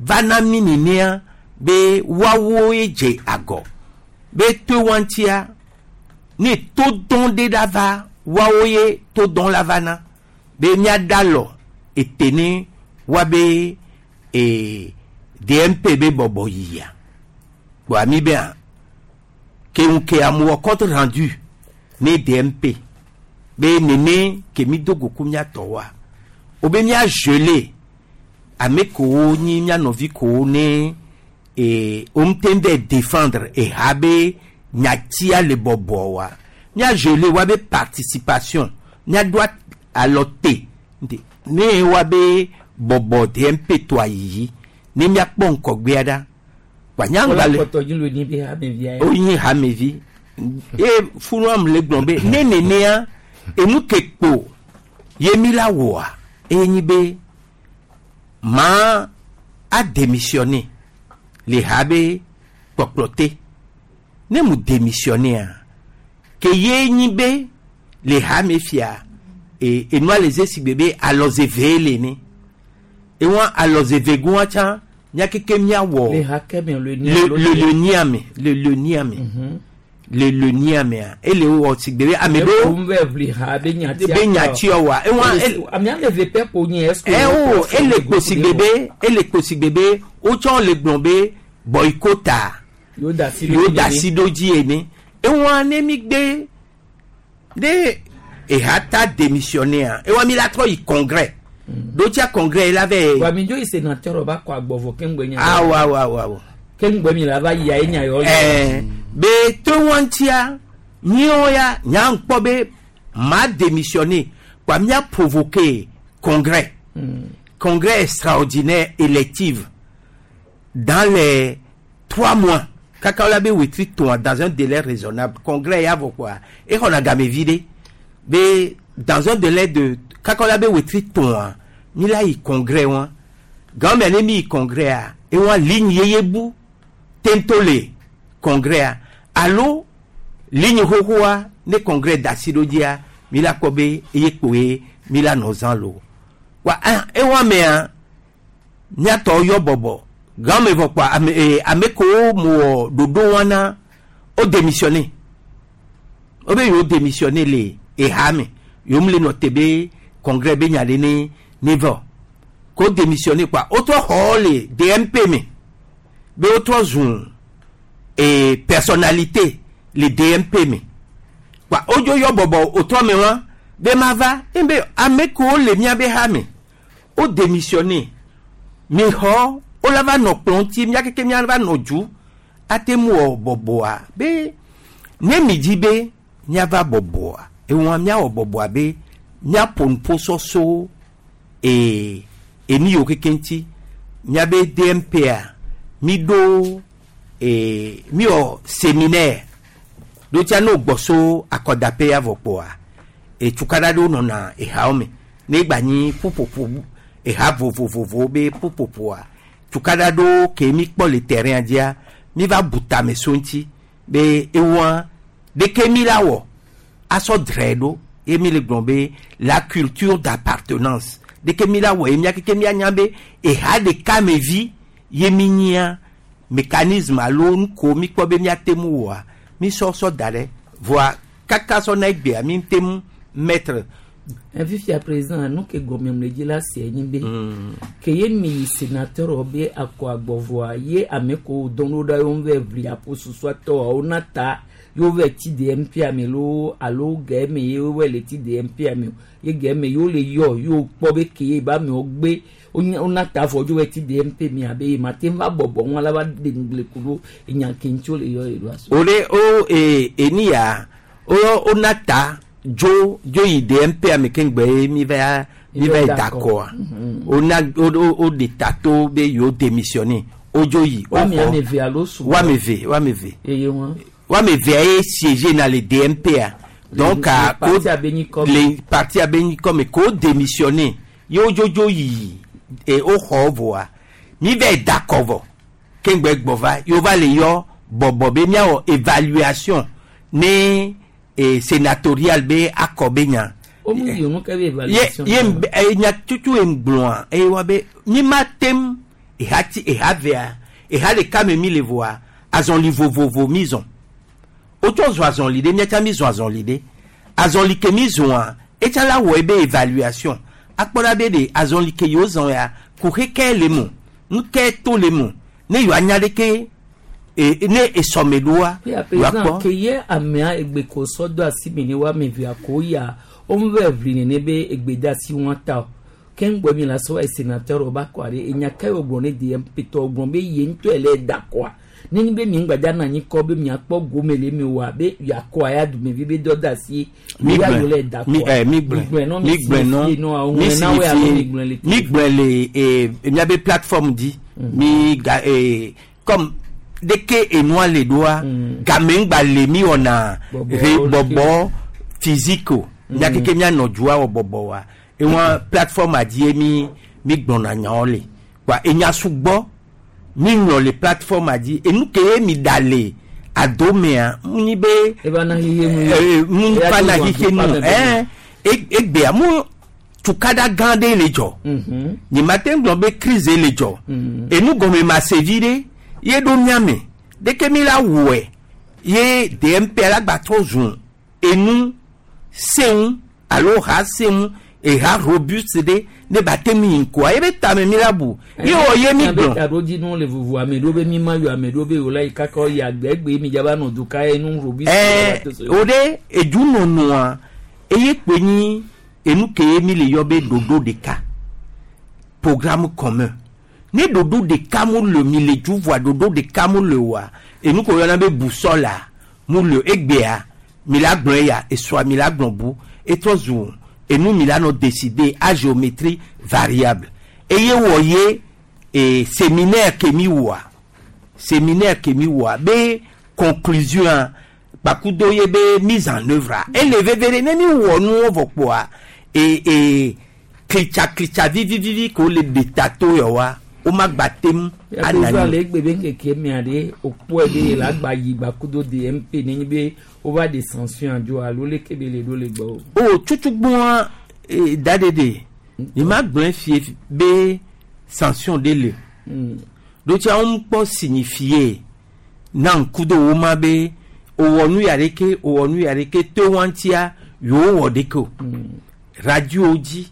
va na mi nenea be woawoe dze agɔ be to wa ŋutia ne to dɔn ɖe ɖa va woawoe to dɔn la va na be míada lɔ ete ne woabe e DMP be bɔbɔ yiyia kpɔa mi be a ke ŋu ke amewo compte rendu ne DMP be nene ke mi do go ku mía tɔwoa wobe mía gelé ame kewo nyi mía nɔvi kewo ne e wo ŋute vɛ défendre eha be nyatia le bɔbɔ wa mía gelé woabe participation míaɖo alɔ te ne woabe bɔbɔ DMP tɔa yiyi ne míakpɔ ŋkɔgbea ɖa kpa nyagba le kpɔtɔ dzi lo ni be hamevia ye. wonyi hamevi ye funua mu le gblɔ be ne nenea enu ke kpo ye mi la wɔa eye nyi be ma a démissionner le ha be kpɔkplɔ te ne mu démissionner ke ye nyi be le ha me fia e enua le ze si gbe be alɔze le ne ewa alɔze ve goa tsã mía keke míawɔ le ha kɛmɛ le ni le le le niame le le niame le le niamea ele wɔ si gbe be ame ɖewo ɖewo bɛ ʋli ha be nyatia be nyatia wa ewa ele ame ame ve pɛ ko nye est-ce que ɛ o ele kposi gbe be ele kposi gbe be wotsɔ le gblɔ be boycott yóò da si yóò da si ɖo dzi ene ewa ne mi gbe ne eha ta démissionner ewa mi la trɔ yi congrès ɖo tia congrès la vɛ wa mi dzo yi sénateur ba kɔ agbɔvɔ keŋgbe nya awɔ awɔ awɔ awɔ keŋgbe mi la va yi ayi nya yɔ ɛɛ be to wɔntia míawo ya nya ŋkpɔ be ma démissionner kpa mía provoquer congrès congrès extraordinaire élective dans les 3 mois kaka la be wetri tɔn dans un délai raisonnable congrès ya vɔ quoi exɔna game vi ɖe be dans un délai de kaka la be wetri tɔn mi la yi congrès wa gãmɛ ne mi yi congrès a ewa ligne yeye bu tento le congrès a alo Ligne xoxoa ne congrès da asi ɖo dzia mi la kpɔ be eye kpoe mi la nɔ zã lo. Wa ah ewa mea miatɔ yɔ bɔbɔ gãme vɔ kpoa ame ee ame kewo mo wɔ ɖoɖo wɔna o démissionné wo be yewo démissionné le eha me yewo mu le nɔ te be congrès be nya ɖe ne ne vɔ ko démissionné kpoa wotrɔ xɔ le DMP me be wotrɔ zu ee personnalité le DMP me kpoa wodzo yɔ bɔbɔ wotrɔ me wa be ma va ebe ame kewo le miabe ha me wo démissionné mi xɔ wola va nɔ kplɔ ŋuti mia keke mia va nɔ dzu ate ŋu wɔ bɔbɔa be ne mi dzi be miava bɔbɔa ewɔa miawɔ bɔbɔa be miaƒo nuƒo sɔsɔ ee enu yiwo keke ŋuti miabe DMP-a mi ɖo ee miwɔ séminaire ɖo tia ne wogbɔ so akɔdaƒe ya vɔ kpoa etukaɖa ɖewo nɔna ehawo me ne gba nyi ƒuƒoƒo eha vovovovowo be ƒuƒoƒoa tukaɖa ɖewo ke mi kpɔ le terrain dzia mi va bu tame so ŋuti be ewɔa ɖeke mi la wɔ asɔ dzrae ɖo ye mi le gblɔ be la culture d'appartenance ɖeke mi la wɔ ye mia keke mianya be eha ɖeka me vi ye mi nyia mécanisme alo nu ko mi kpɔ be miate ŋu wɔa mi sɔ sɔ da ɖe voa kaka sɔ na egbea mi te ŋu mettre fifia président nu ke gɔme le dzi la se nyi be ke ye mi yi sénateur be akɔ agbɔvɔa ye ame ko dɔn ɖo ɖa yewo vɛ ʋli aƒo susua tɔa wona ta yewo vɛ ti DMP ame lo alo gɛ me ye wo le ti DMP ame o ye gɛ me yewo le yɔ yewo kpɔ be ke ye ba amewo gbe wona ta vɔ dzo vɛ ti DMP mi abe ye ma te va bɔbɔ ŋu ala va de ŋugble ku ɖo enya ke ŋuti wo le yɔ ye ɖo aso. o le o ee eni ya o wona ta dzo dzo yi DMP ame ke ŋgbe ye mi va mi va yi dakɔa wona o o de ta to be yewo démissionné o dzo yi o Woame xɔ ame eve alo sugbɔ. woame eve woame eve eye wọn. woame evea ye siégé na le DMP a donc Le- a le parti abe nyikɔ me. le parti abe nyikɔ me ko démissionné ye wo dzodzo yi e wo xɔ vɔa mi va yi dakɔ vɔ ke ŋgbe gbɔ va ye wo va le yɔ bɔbɔ be miawɔ évaluation ne e sénatorial be akɔ be nya o mu yi nu ke be ye évaluation. ye ŋbe- e nya tutu ye ŋgblɔa eye wa be mi ma tem eha ti eha vea eha ɖeka me mi le voa azɔli vovovo mi zɔn wotsɔ zɔ azɔli ɖe miatsa mi zɔ azɔli ɖe azɔli ke mi zɔa etsa la wɔ ebe évaluation akpɔ ɖa be ɖe azɔli ke yewo zɔn ya kuxe ke le mo nu ke to le mo ne yewoa nya ɖeke e ne esɔme ɖoa Ya yewoa président kpɔ ke ye amea egbe ko sɔ do asi mi ne wo ame evea ko ya wo mu vɛ ʋli nene be egbe de asi wɔn ta o ke ŋgbɔ mi la sɔ sénateur wo ba kɔ ɖe enya ke wo gblɔ ne DMP tɔ gblɔ be ye ŋutɔ le da kɔa nenye be mi ŋgbadza na anyi kɔ be miakpɔ gome le mi oa be yakɔa ya dumevi be dɔ de asi mi ya yewo le gblɔe da mi kɔa ɛ mi gblɔe nɔ mi gblɔe nɔ nɔ mi mi na wo alo mi gblɔe le mi gblɔe le e miabe plateforme dzi mi ga e comme deke enua le ɖoa game ŋgba le mi wɔna Bɔbɔ, re bɔbɔ physique o mia keke mianɔ dua wɔ bɔbɔ wa ewa plateforme dzi ye mi mi gblɔna nyawo le wa enya sugbɔ mi ŋlɔ le plateforme dzi enu ke ye mi da le adomea mu nyi be eva na xixe nu ye. Eh, mu Eya fa to na zɔn xixe nu atukpa me be ɛn egbea mu tukaɖa gã ɖe le dzɔ nye ma te gblɔ be crise le dzɔ enu gɔme ma se vi ɖe ye ɖo miame ɖeke mi la wɔe ye DMP la gba trɔ zu enu seŋu alo ha seŋu eha robuste ɖe ne ba te mi yi ŋkɔa ye be tame mi la bu ye wɔ ye mi gblɔ taɖodzinu le vovo ame ɖewo be mi ma yɔ ame ɖewo be wòla yi kaka yi agbɛgbe mi dzaba nɔ du ka ye nu robi. ɛɛ o ɖe edunɔnɔa eye kpe nyi enu ke ye mi le yɔ be ɖoɖo ɖeka programme commun ne ɖoɖo ɖeka mu le mi le dzu voa ɖoɖo ɖeka mu le oa enu ko yɔna be busɔla mu le egbea mi la gblɔ eya esɔa mi la gblɔ bu etrɔ zu enu mi la nɔ décider à géométrie variable eye wɔ ye e séminaire ke mi wɔa séminaire ke mi wɔa be conclusion a kpakudo ye be mise en œuvre a ele veve ɖe ne mi wɔ nuwo vɔ kpoa e e klitsa klitsa vivivivi ko le ɖe ta to yɔ wa womagba tem Anani. anani Le egbe be ŋkeke mea ɖe wokpɔe be yele agba yi gbakudo DMP nenye be wova ɖe sanction adzo alo leke be le ɖo le gbɔ o. O tutugbɔn daɖeɖe yi ma gblɔe fie be sanction ɖe le ɖo tsia wo kpɔ signifie na ŋku do wo ma be owɔ nu ya ɖeke owɔ nu ya ɖeke to wa ŋutia yewo wɔ ɖeke o. Radio dzi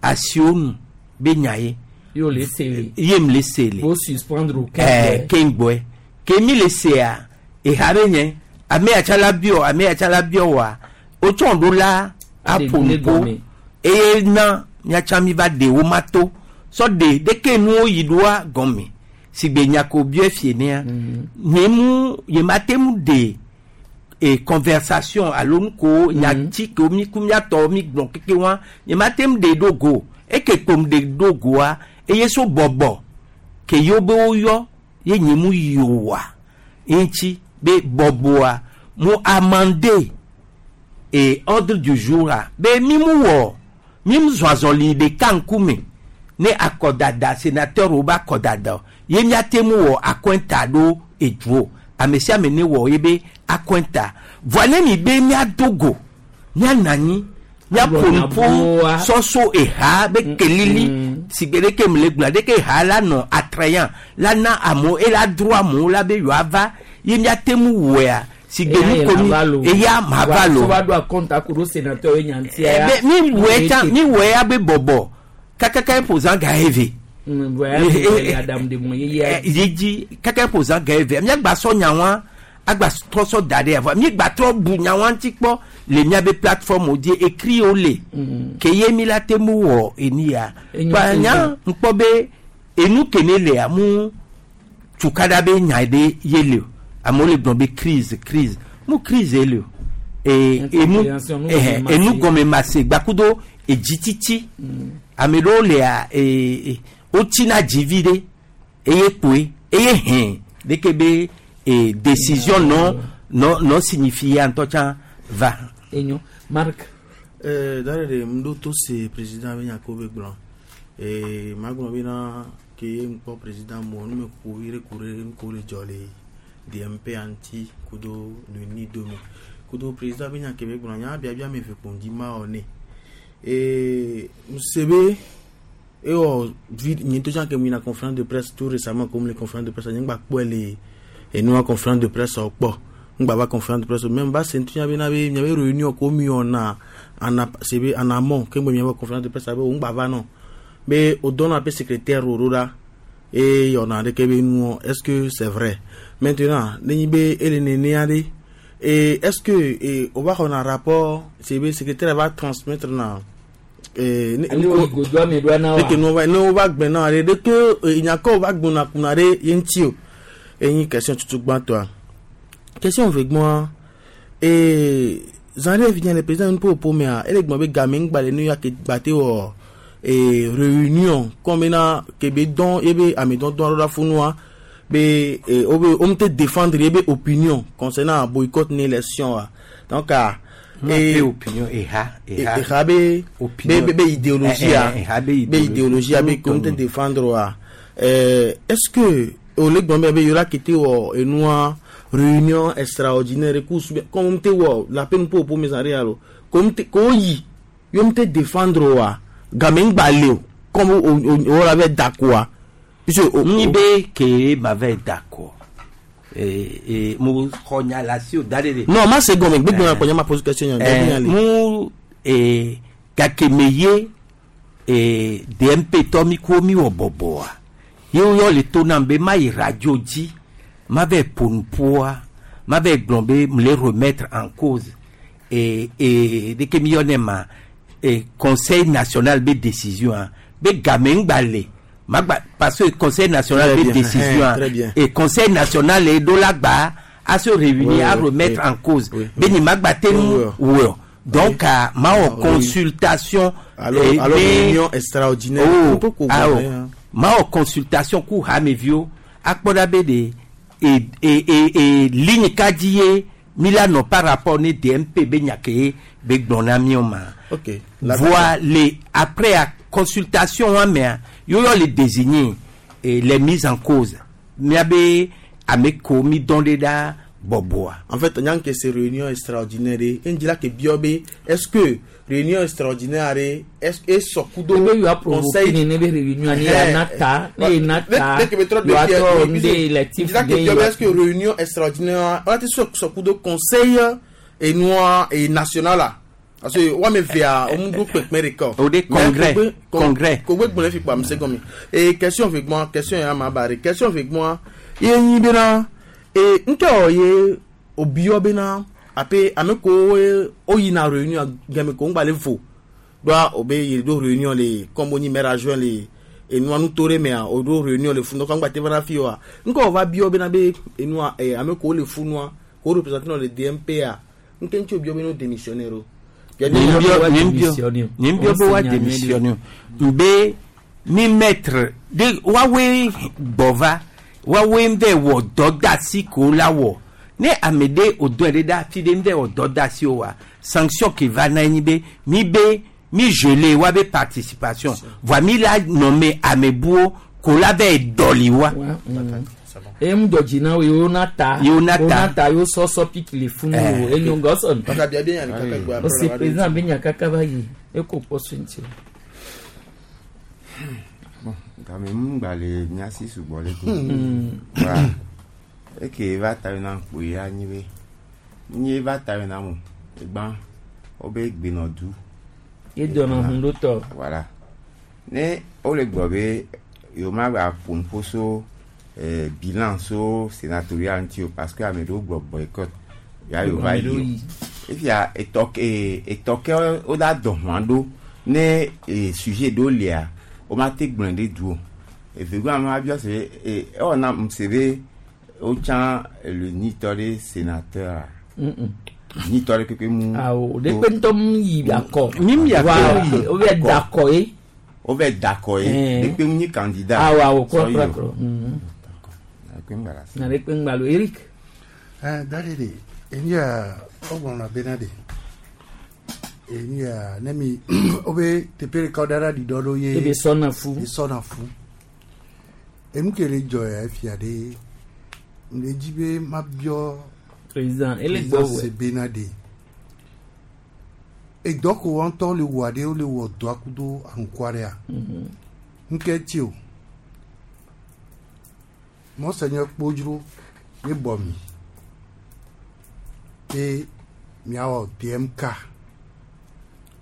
asiwo nu be nya ye. Yo le se le. Ye m le se le. Wo suspendre o ɛɛ keŋgbɔe ke mi le sea eha be nye ame ya tsa la biɔ ame ya tsa la biɔ wa wotsɔ ɖo la aƒo nuƒo eye na miatsa mi va ɖe wo ma to sɔ ɖe ɖeke nuwo yi ɖoa gɔme si gbe nyako biɔ fie nea nye mu nye ma te mu ɖe e conversation alo nu ko nyati ko mi ku miatɔ mi gblɔ keke wa nye ma te mu ɖe ɖo go eke kpom ɖe ɖo goa eye so bɔbɔ ke yewo be woyɔ ye nye mu yi oa ŋuti be bɔbɔa mu amande e ordre du jour a be mi mu wɔ mi mu zɔ azɔli ɖeka ŋkume ne akɔdada sénateur wo be akɔdada o ye miate mu wɔ akɔnta ɖo eduo ame sia ame ne wɔ ye be akɔnta voa ne mi be miado go mianɔ anyi miaƒo nuƒo sɔsɔ eha be kelili si gbe ɖeke mu le gblɔa ɖeke eha la nɔ attrayant la na amewo ela dro amewo la be yewoava ye miate mu wɔea si gbe nu ko mi eya ma va lo va ɖo akɔnta ko ɖo sénateur ye nyantia ya. Be mi wɔe tsã mi wɔe ya be bɔbɔ kakaka eƒo zã ga eve. Adamu de mɔ yeye. Ye dzi kaka eƒo zã ga eve miagba sɔ nyawa agba trɔ sɔ da ɖe avɔ miagba trɔ bu nyawa ŋuti kpɔ le miabe plateforme dzi écrit wo le ke ye mi la te mu wɔ eni ya Enyo kpa te nya zã. ŋkpɔ be enu ke ne lea mu tukaɖa be nya ɖe ye le o amewo le gblɔ be crise crise mu crise ye le o e enu Incompréhension, nu ɛhɛ, gɔme enu mase. gɔme mase gbakudo edzitsitsi ame ɖewo lea e e wotsina dzivi ɖe eye kpoe eye hɛn ɖeke be e décision nɔ nɔ nɔ signifie ya ŋutɔ tsã va. Enyo Marc. Dare ɖe ŋɖo to se président be nya ko be gblɔ ee magblɔ bena ke ye ŋkpɔ président mɔ numekuku vi ɖe ku ɖe nuko le dzɔ le DMP ŋuti kudo nuni dome kudo président be nya ke be gblɔ nya biabia me ve kpo ŋdi ma wɔ nɛ ee ŋse be ewɔ vi nye ŋutɔ tsã ke mu yina conférence de presse tout récemment comme le conférence de presse nye ŋgba kpɔe le enua conférence de presse wɔ kpɔ ŋgba va conférence de presse o même va se ŋuti bena be miabe réunion ko mi wɔna en se be en amont ke ŋgbe miabe conférence de presse abe wo ŋgba va nɔ be o dɔnna be secrétaire wo ɖo ɖa eye yɔna ɖeke be nuɔ est ce que c'est vrai maintenant ne nyi be ele nenea ɖe et est ce que e o va xɔna rapport se be secrétaire va transmettre na eh, Ale wo godoa me ɖoa na wa. ɖeke nu va ne wova gbe na ɖe ɖeke nyakɔ wova gbɔna kuna ɖe ye ŋuti o enyi question tutu gbãtɔa question ve gbɔa ee zã ɖe fi le président nu ƒoƒo mea ele gblɔ be game ŋgba le nu ya ke gba te wɔ ee réunion comme bena ke be dɔn ye be ame dɔdɔn ɖo ɖa funua be ee wo be wo ŋute défendre ye be opinion concernant boycott ne élection wa donc ah Be opinion eha eha eha be Opinion. be be be idéologie a Eh, eh, eha be be idéologie a be idéologie. ke ŋute défendre wa euh, est-ce que o le gbɔn be be yɔrɔ kete wɔ enua réunion extraordinaire ku su comme ŋute wɔ la pe nupo po mes arrière alo ko ŋute ko yi yo ŋute défendre wa game ŋgba le o comme o o o la bɛ dakoa puisque o Ni be ke ma va être d'accord. Et, et mo xɔ nya le asi o da ɖe ɖe. non ma se gɔme gbegbe ma kɔ nye ma pose question nya Eh, mu eh, gake me ye eh, DMP tɔ mi ko mi wɔ bɔbɔa ye woyɔ le to nam be ma yi radio dzi ma va ƒo nuƒoa ma va gblɔ be m le remettre en cause et et ɖeke mi yɔnɛ ma eh, conseil national be décision a be game ŋgba le ma gba parce que conseil national Très be bien, décision a très bien. et conseil national le ɖo la gba a se réunir Oui, à oui, remettre oui. en cause Oui, be nye ma gba te nu Oui, oui. wɔ donc ah, ma wɔ Oui. consultation alors eh, alors be- réunion extraordinaire oh Nupo ko ah, gɔme, oh. hein. ma wɔ consultation ku hameviwo akpɔ ɖa be de e e e e ligne ka dzi ye mi la nɔ par rapport ne DMP be nya ke ye be gblɔ na mi o ma ok voa le après a consultation wa mea yóyɔ le désigner les mises en cause miabe ame ko mi dɔn ɖe ɖa bɔbɔa. En fait, nyan ke se réunion extraordinaire ɖe, eŋdzi la ke biɔ be est-ce que réunion extraordinaire ɖe est esɔ kudo Ebe yɔ provoquer nene be réunion ni ya na ta, ne ye na ta, yɔ atɔ ŋde électif la ke de biɔ be yɔ. est-ce que réunion extraordinaire wala te sɔ kudo conseil enua e national la parce que woame evea womu ɖo kpekpe ɖeka o. O de congrès, congrès. Kogbe gblɔ fi kpa mise gɔme. E question ve gbɔa, question ya ma ba ɖe. Question ve gbɔa, ye nyi bena e ŋkɛ ye obiɔ bena ape ame kowo woyina réunion game ko ŋgba le vo ɖoa o be yi ɖo réunion le comme wonyi maire adjoint le enua nuto ɖe mea o ɖo réunion le funua ŋgba te va na fi oa ŋkɛ wòva biɔ bena be enua e ame kowo le funua ko représenter nɔ le DMP a ŋkɛ ŋuti obiɔ be no démissionnaire o. Nyimbiɔ be wa démissionner nbe mi maître de woawoe gbɔ va woawoe ŋvɛ wɔ dɔdasi ko la wɔ ne ame ɖe o dɔn ɖe ɖe afi ɖe ŋvɛ wɔ dɔdasi o wa sanction ke va na nyi be mi be mi gelé wa be participation voa mi la nɔme ame buwo ko la vɛ dɔli wa. Eye ŋu dzɔ dzi na wo yewo na ta. Yewo na ta. ta yewo sɔsɔ piki le funu o enyo gɔsɔn. Kaka bia bia nya kaka gbe O se président be nya kaka va yi eko kpɔ so ŋuti o. Game mu gba le mía si sugbɔ le ko. Mm. Wa eke va ta na kpo ya nyi be. Nyi va ta na mo. Egba wo be gbenɔ du. Ye dɔnɔ hun ɖo tɔ. Voilà. Ne wole gblɔ be yewo ma gba ƒo nuƒo so bilan so sénatorial ŋuti o parce que ame ɖewo gblɔ boycott ya yewo va Ame ɖewo yi yi. o. Efia etɔ ke etɔ ke wo da dɔ hɔn ɖo ne sujet ɖewo lia wo ma te gblɔe ɖe du o. Evegɔa ame abiɔ se be ewɔ na m se be wotsã le nyitɔ ɖe sénateur a nyitɔ ɖe kpekpe mu. Awo de kpe ŋutɔ mu yi akɔ. Mi mu yi akɔ. Wa o bɛ da akɔ ye. Wo bɛ da akɔ ye. Eh. De kpe mu nyi candidat. Awo awo Sɔ kura yi kura o. kura. Kpe mu gbala se. Na de kpe ŋgbalo Eric. Dadi de eni ya ɔgbɔnɔ bena de eni ya ne mi o be teƒe ɖeka ɖe ɖi dɔ ɖo ye Ebe sɔna fu. e sɔna fu enu ke le dzɔ ya efia ɖe le dzi be ma biɔ Président ele gbɔ président se wɛ. bena de edɔ ko wɔn ŋutɔ le wɔa ɖe wole wɔ dɔa kudo aŋkua ɖea ŋkɛ tsi o mɔsɛnyɛ kpodzro ye bɔ mi be miawɔ DMK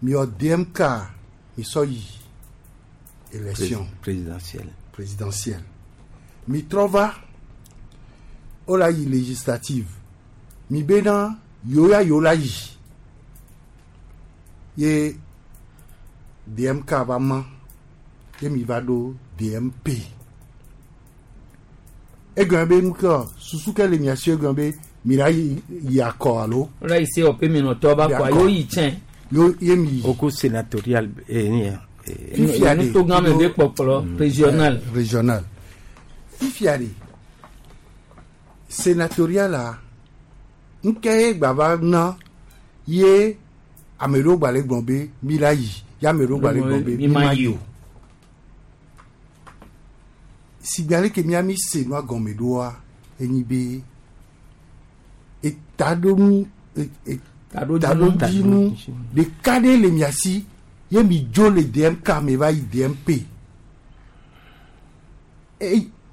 miwɔ DMK mi sɔ yi élection Présidentielle. présidentielle mi trɔ va wo la yi législative mi bena yewo ya yewo la yi ye DMK va ma ye mi va ɖo DMP egɔme be nu ke susu ke le mia si egɔme be mi la yi yi akɔ alo. O la yi se ɔpe minɔtɔ ba kɔ yewo yi tsɛn. Yo ye mi yi. Au cours sénatorial ni ya. Fifia de Nuto gã me be kpɔkplɔ régional. Régional fifia de sénatorial la ŋkɛ ye gba va na ye ame ɖewo gba le gblɔ be mi la yi ye ame ɖewo gba le gblɔ be mi ma yi o sigbe ale ke mía mi se nua gɔme ɖoa enyi be etaɖonu Taɖodzinu. taɖodzinu ɖeka ɖe le mia si ye mi dzo le DMK me va yi DMP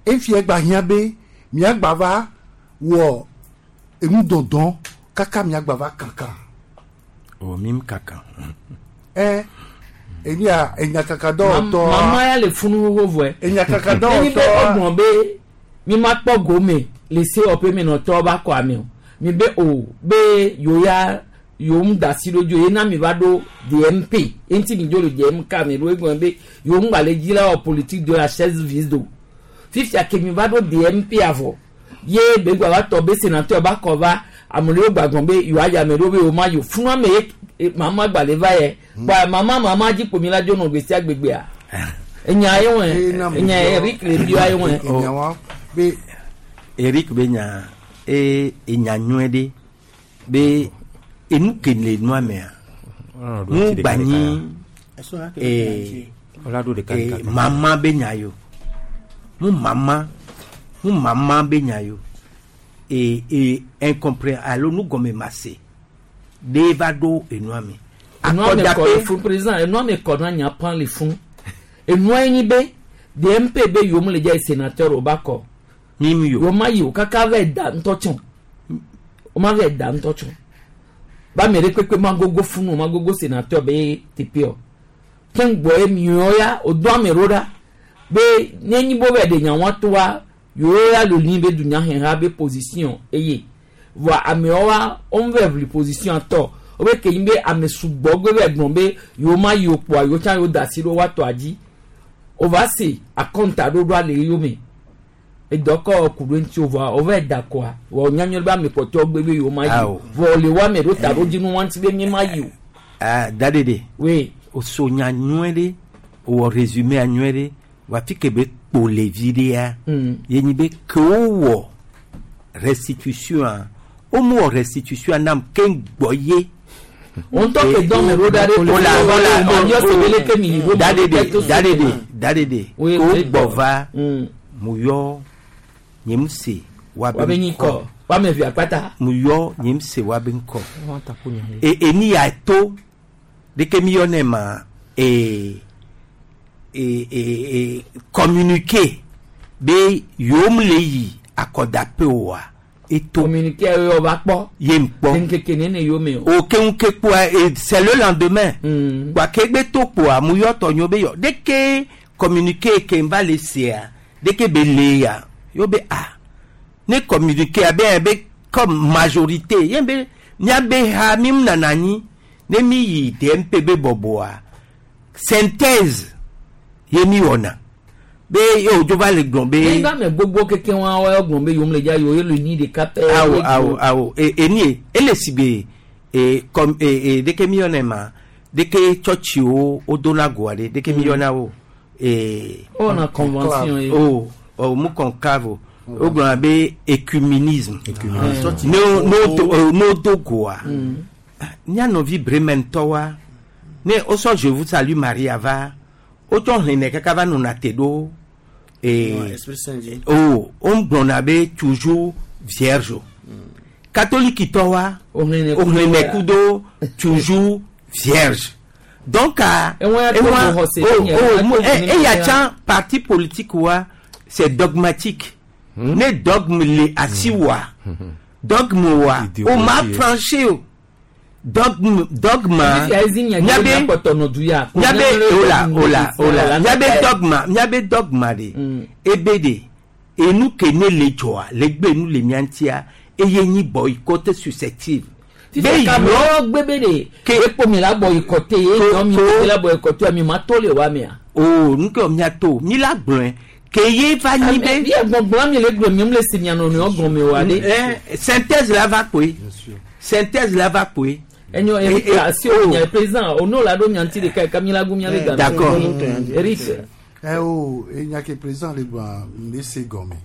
efia gba hiã be miagba va wɔ enu dɔdɔn kaka miagba va kankan O mi kaka. ɛ enia enyakaka dɔwɔtɔ Mama ya le funu xoxo vɔe. Enyakaka Enyi be dɔwɔtɔ ɔgbɔn be mi ma kpɔ gome le se ɔpe minɔtɔ ba kɔ ame o. Mi be o be yewo ya yewo mu da asi ɖo dzi o ye na mi va ɖo DMP eŋuti mi dzo le DMK mi ɖo egɔme be yewo ŋgba le dzi la wɔ politique de la chaise vide o. Fifia ke mi va ɖo DMP avɔ ye be gba va tɔ be sénateur ba kɔ va ame ɖewo gba gbɔn be yewoa yi ame ɖewo be yewo ma yi o funu ame ye mama gba le va yɛ kpa mama mama dzi kpo mi la dzo nɔ gbe sia gbegbea enya ye wɔn enya Eric le bia ye wɔn. Be Eric be nya e enya nyuie ɖe be enu ke le nua mea nu gba nyi mama be nya yo. Mu mama mu mama be nya yo. E e incompré alo nu gɔme ma se. De va ɖo enua me. Enua me kɔ le fún président enua me kɔ na nya pan le fún. Enua yi be DMP be yom le dza sénateur o ba kɔ. Mi yo. Wo ma yi o kaka va da ŋutɔ tsɔn. O ma va da ŋutɔ tsɔn. Ba me ɖe kpekpe ma gogo funu o ma gogo sénateur be teƒe o. Keŋgbɔ ye miɔ ya o do ame ɖo ɖa be ne nyi bo bɛ de nya wa toa yewo ya lo li be dunyaheha be position eye voa amewo wa wo vɛ ʋli position tɔ wo be ke nyi be ame sugbɔ gbe bɛ gblɔ be yewo ma yi o kpoa yewo tsã yewo da asi ɖo woatɔ dzi o va se akɔnta ɖoɖoa le yome edɔ kɔ ku ɖo ŋuti o voa wo vɛ da kɔa vɔ nyanyɔ be ame kpɔtɔwo gbe be yewo ma yi o vɔ le wo ame ɖo ta ɖo dzi nu wa ŋuti be mi ma yi o. Ah, dadede. Oui. O so nya nyuie ɖe o wɔ résumé nyuie ɖe wa fi ke be kpo le vi ɖea. Ye nyi be ke wowɔ restitution a wo mu wɔ restitution nam ke gbɔ ye. Ŋutɔ ke dɔn me ɖo ɖa ɖe ola ola o yɔ se be leke mi yi ɖo dadede dadede dadede Oui, ke wo oui. gbɔ va mu yɔ nye mu se wa wa be nyi kɔ wa me vi akpata. mu yɔ nye mu se wa be ŋkɔ. E eni ya to deke mi yɔ ne ma e e e e communiquer be yom le yi akɔdaƒe oa eto. Communiquer yɔ va kpɔ. Ye ŋkpɔ. Nkeke nene yome o. O keŋ ke kpoa e c'est le lendemain. Kpoa ke gbe to kpoa mu yɔ tɔnyo be yɔ deke communiquer ke n va le sea deke be le ya yo be a ne communiquer abe be comme majorité ye be miabe ha mi nana anyi ne mi yi DMP be bɔbɔa synthèse ye mi wɔna be ye o dzo va le gblɔ be. Ne ba me gbogbo keke wa wa gblɔ be yom le dza yo ye le ni ɖeka pɛ. Awo awo awo e eni ye ele si be e kɔm e e deke mi yɔna ma deke tsɔtsiwo wo dona goa ɖe deke mi yɔna wo e. O na convention ye. O o mu conclave o o gblɔna be écuménisme. Ne o ne o do o ne o do goa. Mía nɔvi Brementɔwoa ne wosɔ Je vous salue Maria va wotsɔ hlẽnɛ kaka va nɔna te ɖo ee Esprit Saint dzi. o wogblɔna be toujours vierge o. Katolikitɔwoa wohlẽnɛ kudo toujours vierge donc a Ewa ya to xɔse o nye, o ewa mu to e nye eya ya. tsã parti politique wa c'est dogmatique ne dogme le asiwòa dogme wa o ma franchi o dogme dogma Fifia ezi mia dzi miabe kpɔtɔ nɔ du ya. miabe ola ola ola miabe dogma miabe dogma de ebe de enu ke ne le dzɔa le gbe nu le mia ŋutia eye nyi boycott susceptible. Fifia kamewo gbe be de ekpo mi la boycotté ye yɔ mi mi la boycotté mi ma to le wa mea. O nu ke mia to mi la gblɔe ke ye va nyi be. Ye gbɔgblɔ mi le gblɔ mi le si mia nɔnɔewo gɔme wa de. Eh, synthèse la va kpoe synthèse la va kpoe. Enyo Eric asi o nya président o no la do nya ŋuti ɖeka yi mi la gu mia be game. D'accord. Eric. Ɛ o enya ke président le gblɔa m le se gɔme.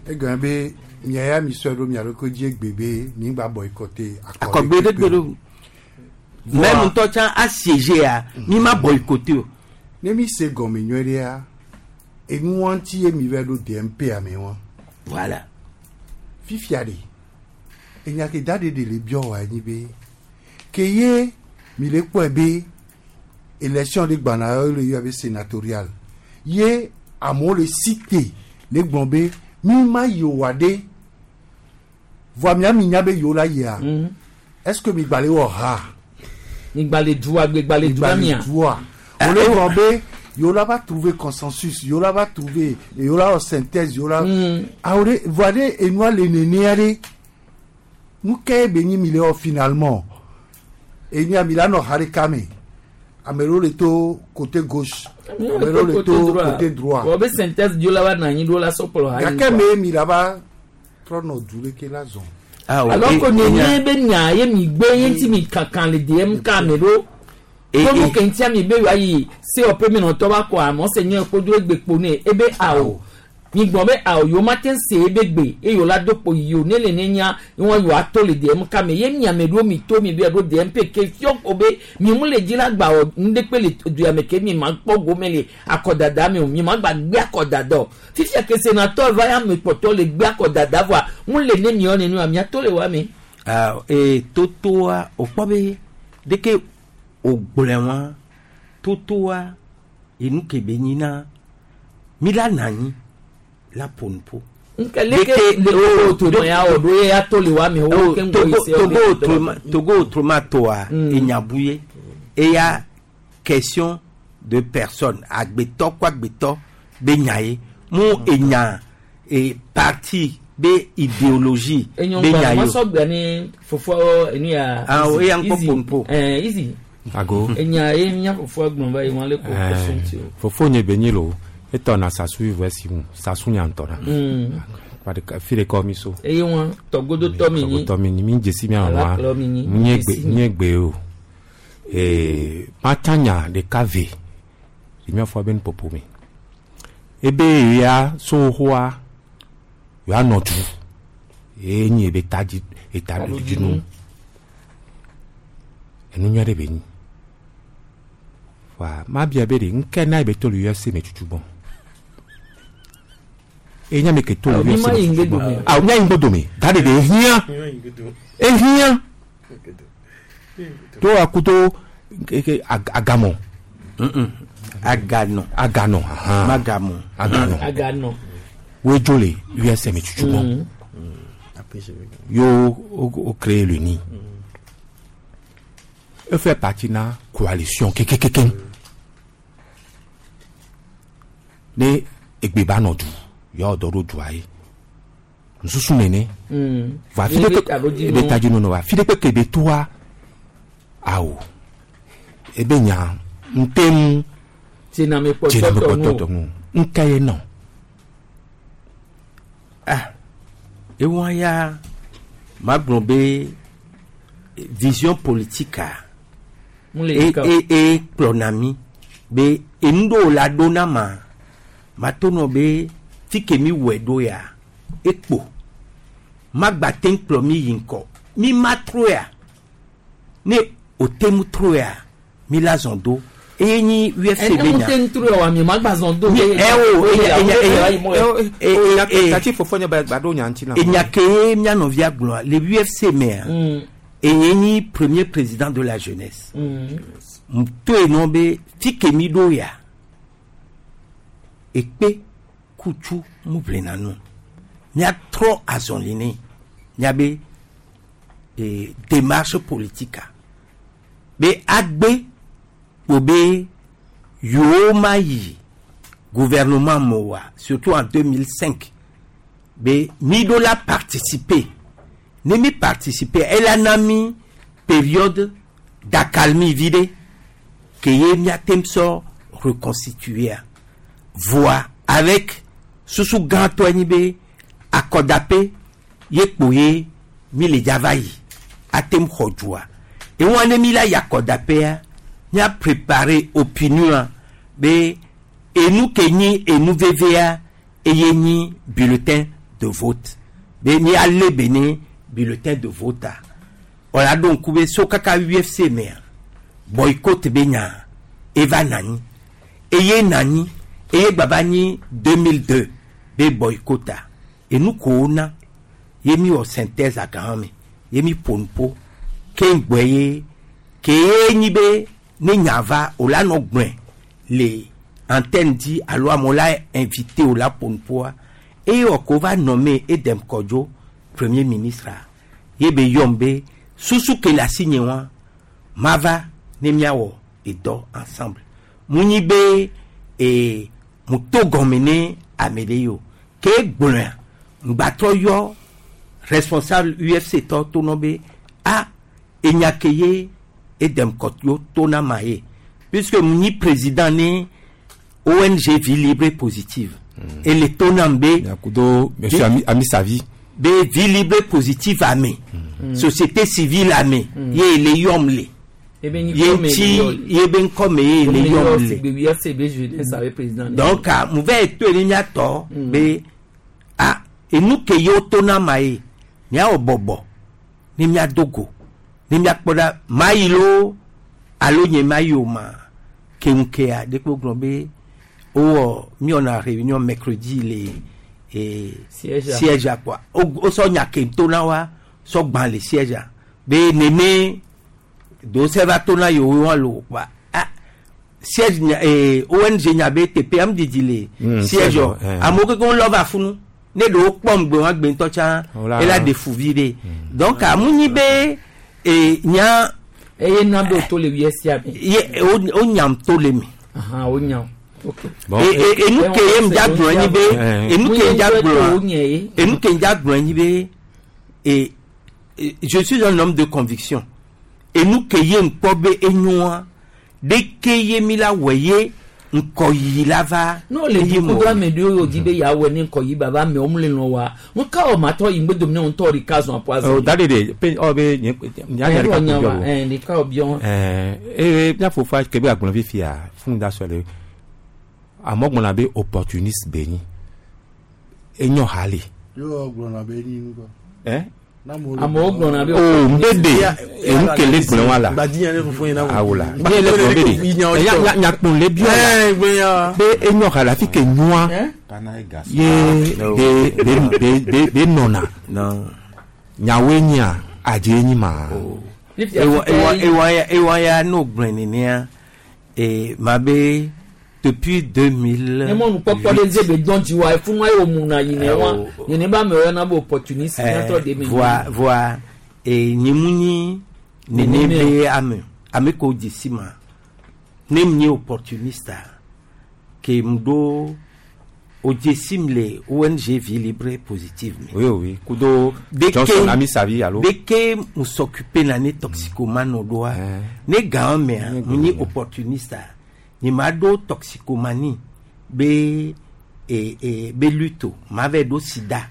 Egɔme be mia ya mi sɔe ɖo mia ɖokui dzi egbe be mi gba boycotté Akɔgbe ɖe gbe ɖo. Même ŋutɔ tsã assiégé ya mi ma boycotté o. Ne mi se gɔme nyuie ɖea enua ŋuti ye mi va ɖo DMP ame wa. Voilà. Fifia ɖe enya ke da ɖe ɖe le biɔ wa nyi be ke ye mi le kpɔe be élection ɖe gbana ye le yɔ be sénatorial ye amewo le cité le gblɔ be mi ma yi o wa ɖe voa mia mi nya be yewo la yia est ce que mi gba le wɔ ha. Mi gba le dua gbe gba le dua mia. dua o le gblɔ be yewo la va trouver consensus yewo la va trouver yewo la wɔ synthèse yewo la awo ɖe voa ɖe enua le nenea ɖe nu ke be nyi mi le wɔ finalement enya mi la nɔ ha ɖeka me ame ɖewo le to côté gauche ame ɖewo le to côté droit Wɔ be synthèse dio la va na anyi ɖo la sɔkplɔ ha yi gake me mi la va trɔ nɔ du ɖeke la zɔn. Alors que nene be nya ye mi gbe ye ŋuti mi kankan le DMK me ɖo. Tonu ke ŋutia mi be wa yi COP mi nɔtɔ va kɔ amɔ se nye kpodo egbe kpo ne ebe awo. Mi gblɔ be awo yewo ma te se ebe gbe eye yewo la do kpo yi o ne le ne nya ye wɔn yewoa to le DM ka me ye mia me ɖo mi to mi be ɖo DMP ke fiɔ ko be mi mu le dzi la gba wɔ nuɖekpe le duya me ke mi ma kpɔ gome le akɔdada me o mi ma gba gbe akɔdada o fifia ke senatɔ va ya me kpɔtɔ le gbe akɔdada vɔa mu le ne miɔ nenua mia to le wa me. Ah, e totoa wòkpɔ be ɖeke wògblɔe wa totoa enu ke be nyi na mi la na anyi la ƒo nu ƒo. Nke leke le o to ma ya wɔ ɖo ye ya to le wa me wo ke ŋgɔ yi se Togo autrement Togo autrement toa enyabu ye eya question de personne agbetɔ kó agbetɔ be nya ye mu enya e parti be idéologie Enyo be ŋgɔ nya ma ye o. sɔ gbea ne fofoa enu ya. Ah, o, eya ŋkɔ Easy. ƒo nu ƒo. Ɛɛ easy. Ago. Enya ye mía fofoa gblɔ va yi wɔn le ko question ti o. Fofonye be nyi lo etɔ na sasu ivɛ si ŋu sasu nya ŋutɔ na. Fi ɖeka mi so. Eye wɔn tɔgodotɔ mi nyi. Tɔgodotɔ mi nyi mi dzesi mia nɔa Alakplɔ mi nyi. nye gbe Dzesi mi. nye gbe o. Ee matsa nya ɖeka ve le mía fɔ be nuƒoƒo me. Ebe ya sohoa ya nɔ du ye nyi ebe tadzi etaɖodzinu. Enu nyui aɖe be nyi. Wa mabia be ɖe ŋke na ebe to le UFC me tutu gbɔ. Eye nye ame ke to le Awo, mi UFC ma me yi tutu ŋgbe gbɔ. dome. Awo mía yi ŋgbe dome. Da ɖe ɖe ehiã. Ehiã. To akudo ke agamɔ. Aganɔ. Aganɔ. ahan. Magamɔ. Aganɔ. Aganɔ. Woe dzo le UFC me tutu gbɔ. Yo o o créé le nid. E fait partie na coalition kekekeke. Ne egbe ba nɔ du yɔ dɔ ɖo dua ye. Nususu nene. Va fi ɖe kpe ebe tadzinu nɔ wa fi ɖe kpe ke be toa awo ebe nya ŋte ŋu Tsename tsename kpɔtɔtɔ kpɔtɔtɔ nu. ŋu ŋke ye nɔ. Ah, ewa ya magblɔ be vision politique a Mu le e yi ka o. e e kplɔna mi be enu ɖewo la ɖo na ma mato nɔ be fi ke mi wɔe ɖo ya ekpo magba te ŋu kplɔ mi yi ŋkɔ mi ma trɔ ya ne o te ŋu trɔ ya mi la zɔn do eye nyi UFC Ene be mu nya. te ŋutru wa mi ma gba zɔn do. Mi- ɛ o, enya- enya- enya- e- e- e- Tati fofonye ba ba ɖo nya ŋuti na. enya ke ye mía nɔvia gblɔa le UFC mea enye nyi premier président de la jeunesse to enɔ be fi ke mi ɖo ya ekpe kutsu mu ʋlina nu míatrɔ azɔli nɛ míabe e, démarche politique a be agbe kpo be yewo ma yi gouvernement me oa surtout en 2005 be mi ɖo la participer ne mi participer ela na mi période d'accalmie vi ɖe ke ye míate ŋu sɔ reconstituer voa avec susu gãtɔe nyi be akɔdape ye kpo ye mi le dza va yi ate ŋu xɔ dua ewa ne mi la yi akɔdapea mía préparer opinion be enu ke nyi enu vevea eye nyi bulletin de vote be míalé be ne bulletin de vote a wòle aɖo ŋku be so kaka UFC mea boycott be nya eva na anyi eye na anyi eye gbava nyi 2002 be boycott a enu ko wona ye mi wɔ synthèse agã me ye mi ƒo nu ƒo ke ŋgbɔ ye ke ye nyi be ne nya va wòle anɔ gblɔe le antenne dzi alo amewo la invité wò la ƒo nu ƒoa eye wɔ ko va nɔ Edem Kɔdzo premier ministre a ye be yɔm be susu ke le asi nye wa mava ne míawɔ edɔ ensemble mu nyi be ee mu to gɔme ne ame ɖe yi o ke gblɔa ŋgbatrɔ yɔ responsable UFC tɔ to nɔ be a enya ke ye Edem Kɔdzo to na ma ye puisque mu nyi président ne ONG Vie Libre et Positive ele to nam be Kudo monsieur Ami Amisavi. be vie libre positive ame société civile ame ye ele yɔm le Ebe nyi Ye kɔ me ŋuti le yɔ le. ye be ŋkɔ me ye le yɔm le. Sigbe UFC be jeunesse abe président. Donc ah, mu va yi to ne miatɔ be ah enu ke ye woto na ma ye miawɔ bɔbɔ ne miado go ne miakpɔ ɖa ma yi loo alo nye ma yi o ma keŋkea ɖekpe gblɔ be wowɔ miwɔna réunion mercredi le eh, Siège a. siège a kpɔa wosɔ nya ke to na wa sɔ gbã le siège a be nene do se va to na yewo wa lo kpɔa ah siège nya eh, ONG nya be teƒe am didi le siège siège, o eh. amewo kekeŋ lɔ va funu ne ɖewo kpɔm gbe wa gbe ŋutɔ tsã Wola- ela ɖe fu vi ɖe donc amu nyi be eh, nya Eye na be to le UFC me. ye o nyam to le me. Ahan o nyam. Ok. Bon, enu ke ye ŋdza gblɔ nyi be Eh. enu ke ŋdza Mu ye gblɔ o nye ye. enu ke ŋdza gblɔ nyi be e je suis un homme de conviction enu ke ye ŋkpɔ be enyoa ɖeke ye mi la wɔ ye ŋkɔyiyi la va n'o le eye duku mɔ. do ame ɖewo yio di be yeawɔe ne ŋkɔ yi baba amewo mu le lɔn wa ŋka wɔ matɔ yi ŋgbe dome ne ŋutɔ ɖeka zɔn aƒu azɔ. Oh, da de de pe ɔ be nye nya nya ɖeka ko biɔ o. Ɛn ɖeka wɔ biɔ. Ɛɛ eye mía fofoa ke be agblɔ fifia fún da sɔ le amewo gblɔna be opportuniste be nyi enyo ha le. Yóò gblɔna be enyi nu kɔ. Ɛ? Amewo gblɔna be o n bɛ de enu kele gblɔ wa la Gbadi ne funfun yin na wo. awo la nye le gblɔ be de nya nya nyakpɔn le biɔ la Ɛɛ gbenya. be enyo ha le afi ke nyoa ye be be be be be nɔna Non. nyawoe nyia adze nyi ma. Ewa ewa ewa ya ewa ya n'o gblɔe nenea e ma be depuis 2000. Ne mɔnu kpɔkpɔ ɖe dze be dɔn dzi wa efunu ayi wo muna yi ne wa Eh, o- nene ba amewo yɔna be opportuniste nyatɔ de me. voa voa e nyimu nyi nene Nene. be ame ame ko dzi ma ne m nye opportuniste a, ke m ɖo o dzesim le ONG Vie Libre et Positive me. Oui oui kudo Dès Johnson que- Amisavi alo. Dès que mu s'occuper na ne toxicomane ɖoa ne gã mea mu nyi opportuniste a, nye ma ɖo toxicomanie be e e be lutte o ma va ɖo sida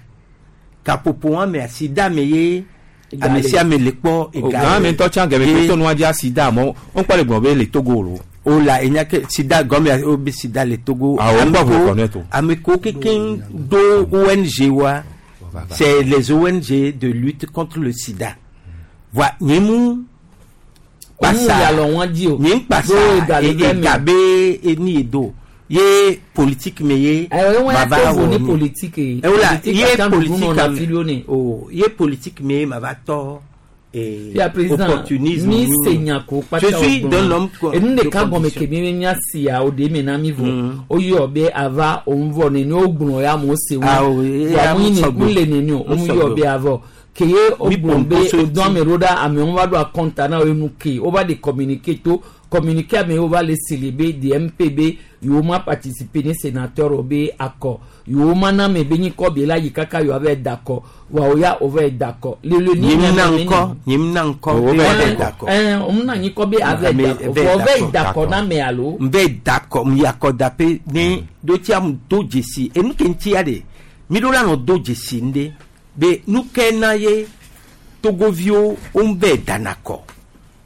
kaƒoƒo wa mea sida me ye ame sia ame le kpɔ O gã me ŋutɔ tsã gɛmɛ Ye- ke tɔnua dzi asida amewo ŋkpɔ le gblɔ be le Togo lo. o la enya ke sida gɔme o be sida le Togo. Ah, o Ame ŋkpɔ ko- ʋu kɔnɛ to. ame ko kekeŋ do ONG wa c'est les ONG de lutte contre le sida voa nye mu Ɔmu yalɔ wọn dzi o. nye kpasa Do ega le e- vɛ me. ega be eni ye do ye politique me ye Ayiwa wọn ma ya va to vo wɔ ne nu. politique ye. Ewola Politique ye ata nuɖu politique nɔna ame fili wo ne. o ye politique me ye ma va tɔ eh, Fia président opportunisme mi nu. se nya ko kpata Je suis d'un homme enu de ɖeka gɔme conviction. ke mi be mía sia o de me na mi vɔ o yɔ be ava òun vɔ neni o gblɔ ya amewo se wo Ah, o, ye vɔ amewo amewo sɔgbɔ. mu le neni o Amewo o yɔ sɔgbɔ. be avɔ ke ye o Mi gblɔ be pɔnpɔ so o dɔn ame ɖo ɖa amewo va ɖo akɔnta na wo enu ke o va de communiquer to communiquer amewo va le sele be DMP be yewo ma participer ne sénateur o be akɔ yewo ma na ame be nyikɔ be la yi kaka yewo ava da akɔ wa o ya o va da akɔ lele ni Nye mu na ame ŋkɔ nye mu na ŋkɔ O be va va da da akɔ. ɛn òun náà yín kọ́ bí avẹ́ Ame dakɔ vɛ fɔ vɛ dakɔ. dakɔ náà mɛ alo. n bɛ dakɔ n yakɔ dape ne do tia mu do dzesi enu ke ŋutia de mi ɖo la nɔ do dzesi ŋɖe be nu ke na ye togoviwo wo bɛ dana kɔ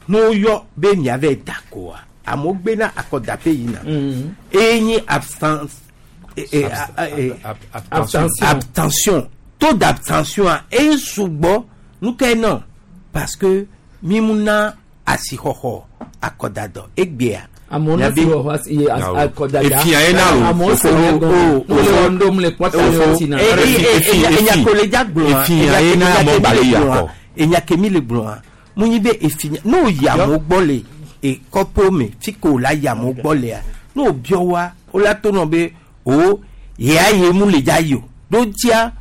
n'o yɔ be mia vɛ da kɔa amewo gbena akɔdape yina eye nye absence eh, eh, eh, Abstention. abstention taux d'abstention a eye sugbɔ nu ke nɔ parce que mi mu na asixɔxɔ akɔdadɔ egbea. Amewo na Miabe- si wɔ hɔ ye akɔdada. Efia ye na lo. Amewo se O, o, o le wɔn ɖom le kpɔta le wɔn na. Enyakole gblɔa Efia ye na amewo gbalẽ yi akɔ. enyakemi le gblɔa mu nyi be efia n'o yi amewo gbɔ le ekɔƒewo me fi ke wòle ayi amewo gbɔ lea n'o biɔ wa wola to nɔ be o yea ye mu le dza yi o ɖo ŋutia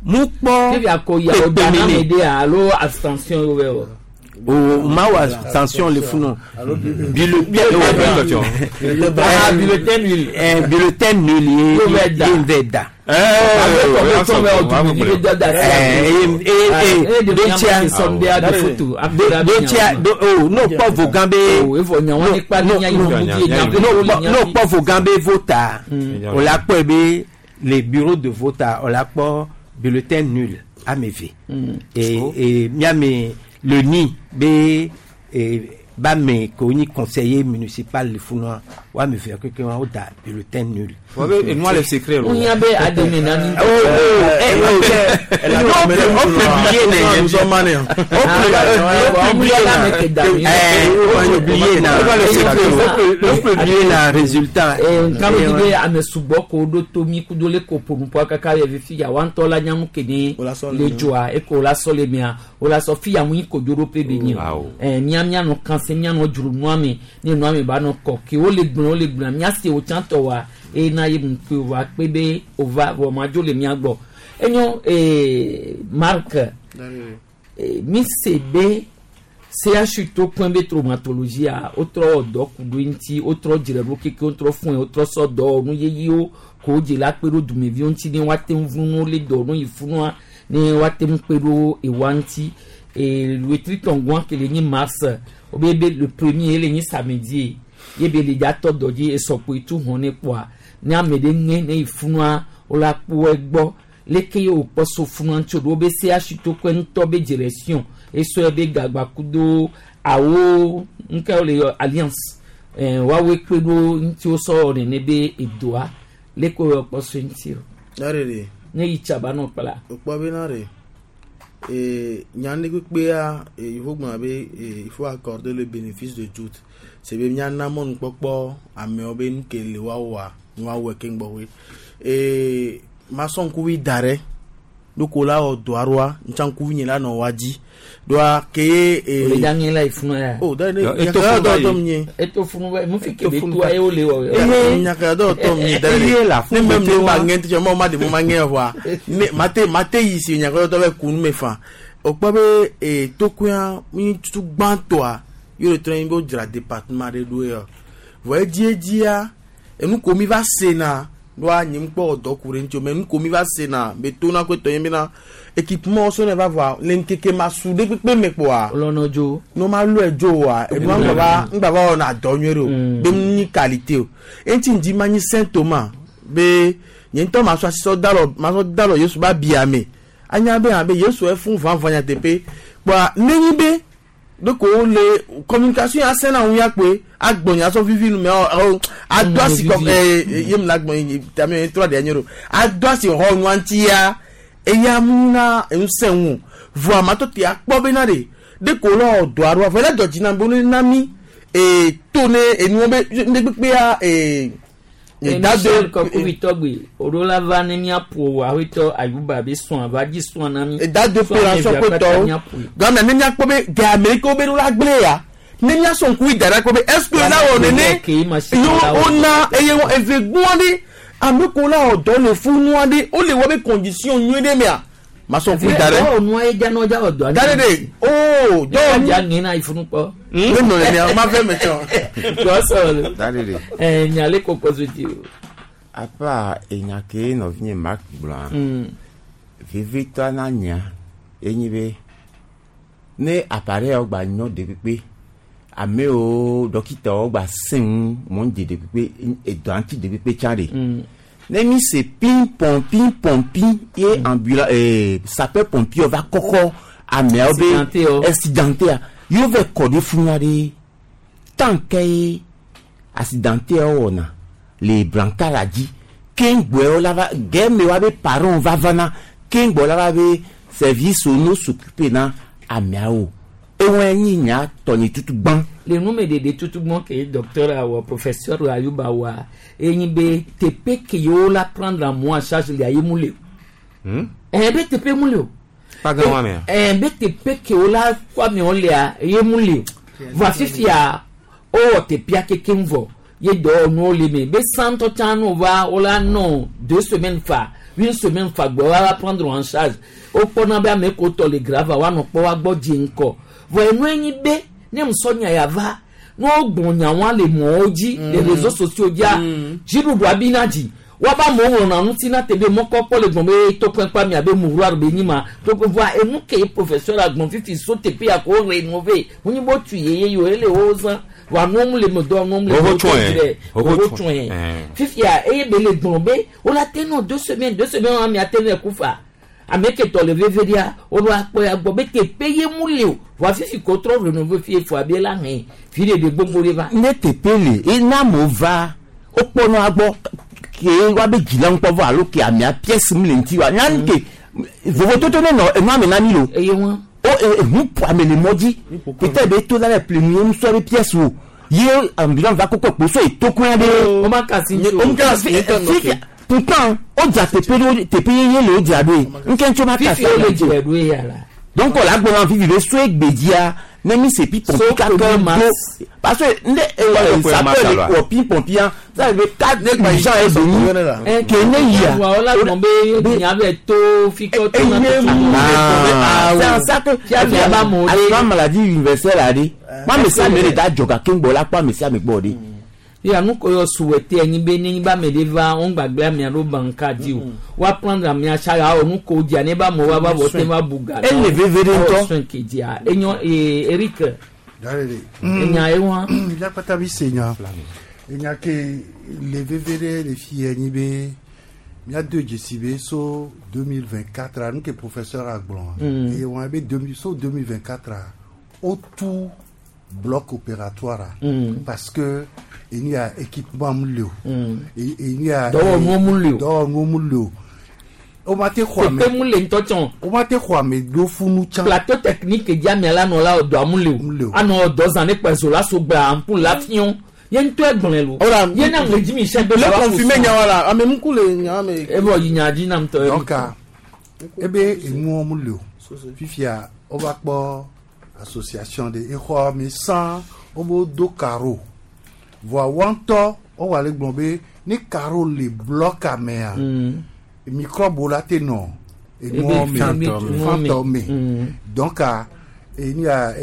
mu kpɔ Ebi akɔ yi awo da na mɛ de alo abstention yɔ bɛ wɔ. o ma wɔ abstention le funu Ah, bulletin nul. bulletin nul ye Yo bɛ da. ye n bɛ da. n'o kpɔ vogan be n'o kpɔ vogan be vota o la kpɔe be le bureau de vote o la kpɔ bulletin nul ame eve et miame le ni be ba me ko nyi conseiller municipal le funua wa me faire que wa da bulletin nul. Wa be enua le secret lo. Ó be ademe nani. Oh oh eh oh o publier na résultat. Nka mi be ame sugbɔ ko do to mi kudo le ko ponupoa kaka yɛ fifi ya wa ŋutɔ la nyamu kene le dzoa eko la sɔ le mia o la sɔ fi ya mu yi kodzo ɖo pe be nyi o ɛ mia mia nɔ kan se mia nɔ dzro nua me ne nua me ba nɔ kɔ ke wo le gblẽ wo le gblẽ mia se wo tsã tɔ wa eye na ye mu kpe wa kpe be o va vɔ ma dzo le mia gbɔ enyo Marc mi se be CHU to kpɔn be traumatologie a wotrɔ dɔ ku ɖo ŋuti wotrɔ dzre ɖo keke wotrɔ fún wotrɔ sɔ dɔ nu yeyewo ko wodze la kpe ɖo dumeviwo ŋuti ne woate ŋu vunu le dɔ nu yi funua ne woate ŋu kpe ɖo ewa ŋuti e wetri tɔngua ke le nyi mars wobe be le premier le nyi samedi ye be le dza tɔ dɔ dzi esɔkpo tu hɔn ne kpoa ne ame ɖe ŋe ne yi funua wola kpo egbɔ leke ye wòkpɔ so funua ŋuti o ɖo be CHU to kpe ŋutɔ be direction esɔ be gagba kudo awo nke wo le yɔ alliance woawoe kpe ɖo ŋuti wosɔ nene be edoa leke wo kpɔ so ŋuti o. Darere. Ne yi tsaba nɔ kpla. Okpɔ be na re nya ne kpekpea il faut gblɔna be il faut accorder le bénéfice de doute c'est be miana mɔnukpɔkpɔ amewo be nu ke le woawɔa nu woawɔe keŋ gbɔƒe masɔ ŋkuvi da ɖe ɖoko la wɔ dɔ aɖoa ntsa ŋkuvi nye la nɔ wa dzi ɖoa ke ye. O le dza ŋe la yi funu ya. O da ne nyakaya dɔ tɔ mi nye. Eto funu bɛ mu fi kebe toa ye o le wɔ. Nyakaya dɔ tɔ mi nye da ne ne mɛ ne ma ŋe tɛ mɔ ma de mo ma ŋe wa ne ma te ma te yi si nyakaya dɔ bɛ kunu me fa o kpɔ be tokuya mi tutu gbãtɔa yóò le trɔ yin bɛ o dzra département ɖe ɖo yɔ vɔ edziedzia enu ko mi va sena ɖoa nye ŋkpɔ dɔ ku ɖe ŋuti o mɛ nu ko mi va sena be to na ko etɔ nye bena équipement so ne va vɔa le ŋkeke ma su ɖe kpekpe me kpoa. Lɔnɔ dzo. Ne ma lɔe dzo oa enua ŋgba va ŋgba va wɔna dɔ nyuie ɖe o be nu nyi qualité o eŋuti ŋdi ma nyi Saint Thomas be nye ŋutɔ ma sɔ asi sɔ da lɔ ma sɔ da lɔ Yesu ba bia me anya be hã be Yesu efun vavã nyateƒe kpoa ne nyi be ɖeko wole communication ya sena ŋu ya kpoe agbɔnya sɔ vivi nu mɛ ɔ ado asi kɔ ye mu la gbɔn yi tami ye trɔ de nye ɖo ado asi xɔ nua ŋuti ya eya mu na ŋusẽ ŋu vɔ amatɔ te akpɔ bena de ɖeko le wɔ dɔ aɖoa vɔ ele dɔ dzi na be ne na mi to ne enuwo be ne kpekpea Michel Kɔkuvi tɔgbi oɖo la va ne miaƒo awetɔ Ayuba be sɔn ava dzi sɔn na mi. Dado pe la sɔn ko tɔwo gɔmɛ ne miakpɔ be ga amerikawo be ɖo la gblẽ ya ne miasɔ ŋku yi da ɖe ko be est ce que la wɔ nene yo wona eye wɔ eve gbɔn ɖe ame ko la wɔ dɔ le funua ɖe wole wɔ be condition nyuie ɖe mea masɔ ŋku yi da ɖe. Dɔwɔ nua ye dza nɔ dza wɔ dɔa. Da ɖe de oo dɔwɔ nu. Dza ŋe na ifunu kpɔ. Ne nɔ nenia ma fɛ mɛ tsɔ. Dɔsɔ Da ɖe de. Nya le kɔkɔ so ti o. Apa enya ke nɔvinye Marc gblɔa vevitɔ na nya enyi be ne appareil yawo gba nyɔ ɖe kpekpe amewo dɔkitawo gba sẽ ŋu mɔ dze ɖe kpekpe edɔa ŋuti ɖe kpekpe tsã ɖe. Ne mi se pin pɔn pin pɔn pin ye ambulance sapeur pompier va kɔkɔ ameawo be accidenté yewo vɛ kɔ ɖe funua ɖe tant que ye accidenté yawo wɔna le brancard la dzi keŋgbɔe la va gɛmɛ wa be parents va vana keŋgbɔ la va be service no s'occuper na ameawo ewɔe nyi nya tɔnyi tutu gbã. Le numeɖeɖe tutu gbɔn ke docteur awɔ professeur Ayuba wa enyi be teƒe ke yewo la prendre en moi en charge le aye mu le o. Be teƒe mu le o. Kpagã wa mea. Be teƒe ke wo la kɔ amewo lea ye mu le o. Vɔ fifia wowɔ teƒea kekeŋ vɔ ye dɔwɔnuwo le me be santɔ tsã no va wo la nɔ 2 semaines fa une semaine fa gbɔ wa la prendre en charge wokpɔna be ame ko tɔ le grave woanɔ kpɔ wa gbɔ dzi ŋkɔ vɔ enue nyi be ne musɔ nya ya va ne wogbɔn nyawoa le mɔwo dzi le réseaux sociaux dzia dziɖuɖua bi na dzi woaba amewo ŋlɔna ŋuti na te be mɔkpɔkpɔ le gbɔn be tokpɛnkpa mia be mouroir be nyi ma tokpɛ vɔa enu ke professeur agbɔn fifi so teƒe ya ko rénové wonyi bo tu yeye yiwo ele wo zã vɔa nuwo mu le me dɔ nuwo mu le Woho me tsɔe. dɔ Woho woho tsɔe. tsɔe fifia eye be le gblɔ be wola te nɔ 2 semaines 2 semaines wa mia te nɔ ku fa ame ke tɔ le veve ɖia woɖo akpɔ ya gbɔ be teƒe ye mu le o Vɔa fifi ko trɔ rénové fie fo abi la hɛn fi de de gbogbo de va. Ne teƒe le ena amewo va wokpɔnɔ agbɔ ke woabe dzila ŋkpɔ vɔ alo ke amea pièce mu le ŋuti wa nya ke vovototo ne nɔ enua me na mi lo. Eye wɔn. O ehu ƒo ame le mɔ dzi peut-être be to la le ple nu ye ŋusɔ be pièce o ye ambulance va kɔkɔ kpo so etokɔe ɖe. O ma kasi ŋuti o. O ma kasi fi pourtant o dza teƒe ɖo teƒe yeye le o dza ɖoe nke ŋutsu ma kasi Fifi o le dzra ɖoe ya la. Donc la gbɔna fifi be so egbedzia ne mi se pi So pɔmpi kaka premier do mars. parce que ne sapeur le wɔ pi pɔmpia ça veut dire quatre urgent est venu ke ne yia. Vɔa wola gblɔ be nya be to fi ke to na to. Ah, c'est en ça que Fia ba mo de. assurance maladie universelle la de ma me sia me le da dzɔ gake ŋgbɔ la kpɔ ame sia ame gbɔ de. Ya nu ko yɔ souhaité anyi be ne ba me de va on gbagbe amea ɖo banka di o. Wa prendre amea sa ya o nu ko dzia ne ba mo wa va vɔ te va buga. Ele veve ɖe ŋutɔ. Soin ke dzia. Enyo ee Eric. Darele. Enya ye wa. Miakpata bi se nya. Enya ke le veve ɖe le fi ye nyi be míado dzesi be so 2024 a nu ke professeur a gblɔ eye wɔn be 2000 so 2024 a wotu bloc opératoire a parce que enu ya équipement mu le o. Enu ya Dɔwɔnuwo mu le o. Dɔwɔnuwo mu le o. O ma te xɔ ame. Teƒe mu le ŋutɔ tsɔ. O ma te xɔ ame ɖo funu tsã. Plateau technique dzi amea la nɔ la dɔa mu le o. Anɔ dɔ zã ne kpɛ zo la so gba ampoule la fiɔ. Ye ŋutɔ egblɔe lo. Ye na ŋle dzi mi sɛ be. Le confirmer nya wa la ame ŋku le nya me. Evɔ yi nya dzi nam tɔ. Donc ebe enuwo mu le o. Fifia wova kpɔ association de exɔ me san wobo do carreau. Voa woa ŋutɔ wowɔ ale gblɔ be ne carreau le bloc mea microbe la te nɔ enuwo me fantɔ me. Donc enu ya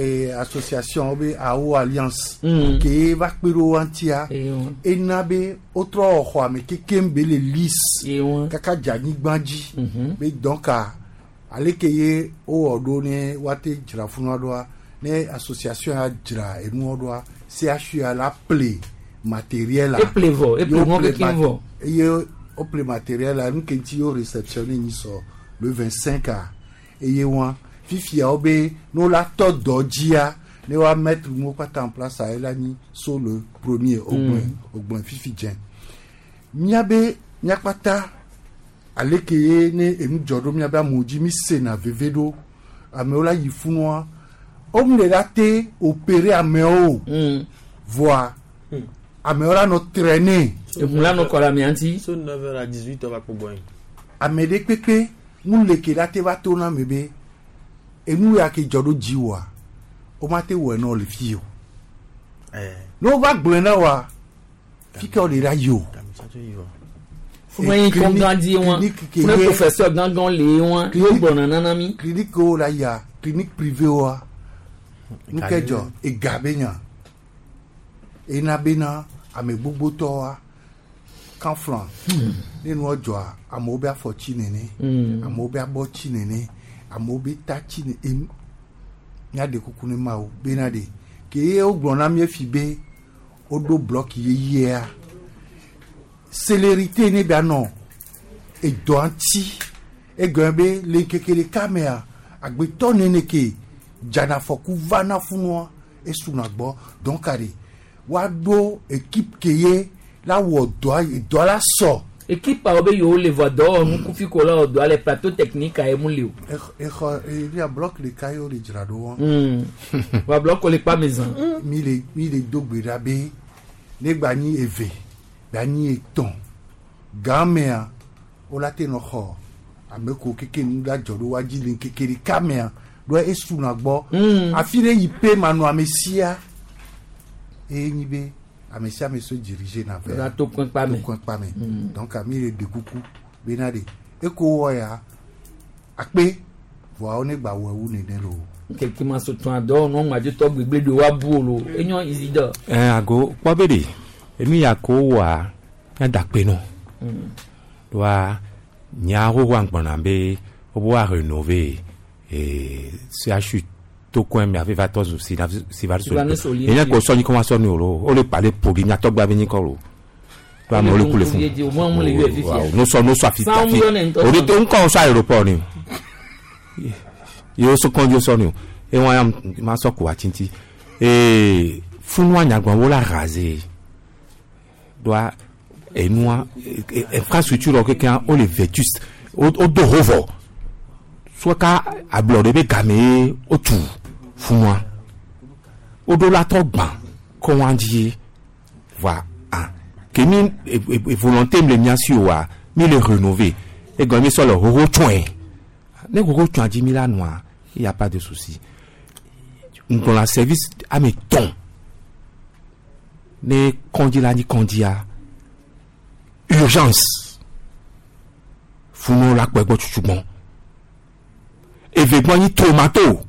association be AO alliance ke va kpe ɖo woa ŋutia ena be wotrɔ wɔ xɔa me kekem be le lisse kaka dze anyigba dzi be donc ale ke ye wowɔ ɖo ne woate dzra funua ɖoa ne association ya dzra enuwo ɖoa CHU ya la ple matériel la. Eple vɔ, eple Ye nuwo wople kekem vɔ. Eye wople matériel la nu ke ŋuti ye wo réceptionné nyi sɔ le 25 a eye wa fifia wo be ne wola tɔ dɔ dzia ne woa mettre nuwo kpata en place a ela nyi so le premier wogblɔe wogblɔe fifi dze míabe míakpata ale ke ye ne enu dzɔ ɖo míabe amewo dzi mi sena veve ɖo amewo la yi funua womu le la te opérer amewo o voa amewo la nɔ traîner. Ehun la nɔ kɔ le amea ŋuti. So 9h à 18h va kpɔ gbɔ yin. Ame ɖe kpekpe ŋu le ke la te va to na ame be enu ya ke dzɔ ɖo dzi woa woma te wɔe na wo le fi o. Ne wova gblɔe na woa fi ke wole la yi o. Fún ẹyin kɔngã di wọn fún ẹ professeur gángan lè wọn yóò gbɔnà nana mi. Clinique wo la yia clinique privée woa nu ke dzɔ ega be nya ena bena ame gbogbotɔwoa kanflan ne nua dzɔa amewo be afɔ tsi nene amewo be abɔ tsi nene amewo be ta tsi nene enu míaɖe kuku ne mawo bena ɖe ke ye wogblɔ na mí efi be woɖo bloc yeyea célérité ne bia nɔ edɔa ŋuti egɔme be le ŋkeke ɖeka mea agbetɔ nene ke dzanafɔku vana funua esuna gbɔ donc aɖe woaɖo équipe ke ye la wɔ dɔa dɔa la sɔ. Équipe awo be yewo le vɔ dɔwɔnu kufi ko la wɔ dɔa le plateau technique ayi mu le o. Exɔ eya bloc ɖeka ye wole dzra ɖo wɔn. Wa bloc le kpa me zã. Mi le mi le do gbe ɖa be ne gba nyi eve gba nyi etɔ̃ gamea wola te nɔ xɔ ame ko keke nu la dzɔ ɖo woa dzi le ŋkeke ɖeka mea ɖo esuna gbɔ afi ɖe yi pe manɔ ame sia eye nyi be ame sia ame so dirige na vɛ La to kɔn kpa me. To kɔn kpa me donc mi le ɖe kuku bena ɖe eko wɔ ya akpe vɔa wo ne gba wɔ ewu nene lo. Keke ma so tún adɔwɔnu ŋmadzotɔ gbegble ɖe wa bu o lo enyo Isidore. Ɛ ago kpɔ be de enu ya ko wa míada kpe nɔ doa nya xoxoa ŋgbɔna be wobe wa rénover CHU to kɔn mi afi va tɔ zu Sylvanus Sylvanus Olympio. Olympio enye ko sɔ nyi kɔ wa sɔ ni o lo o le kpa le poli miatɔgba be nyi kɔ lo to amewo le ku le fún Ye o mɔ mu le yɔ fifi. Waaw, no sɔ no sɔ afi San afi yɔ ne ŋutɔ o de sɔ. to ŋkɔ sɔ aéroport ni o ye o sɔ kɔnji sɔ ni o Ewa ya ma sɔ ko atsinti. Ee funua nyagblɔ wo la raze. Doa enua infrastructure wɔ kekeŋ wo le vétuste. Wo do ho vɔ. Sɔka ablɔɖe be game ye wotu funua. Woɖo la trɔ gbã kɔ wa dzi voa ah ke mi volonté mi le mia si oa mi le rénover egɔme mi sɔ le xoxo tsɔe ne xoxo tsɔa dzi mi la nɔa il y a pas de souci ŋgɔla service ame tɔn ne kɔndzi la nyi kɔndzia urgence funu la kpɔ egbɔ tutugbɔn evegbɔ nyi tomato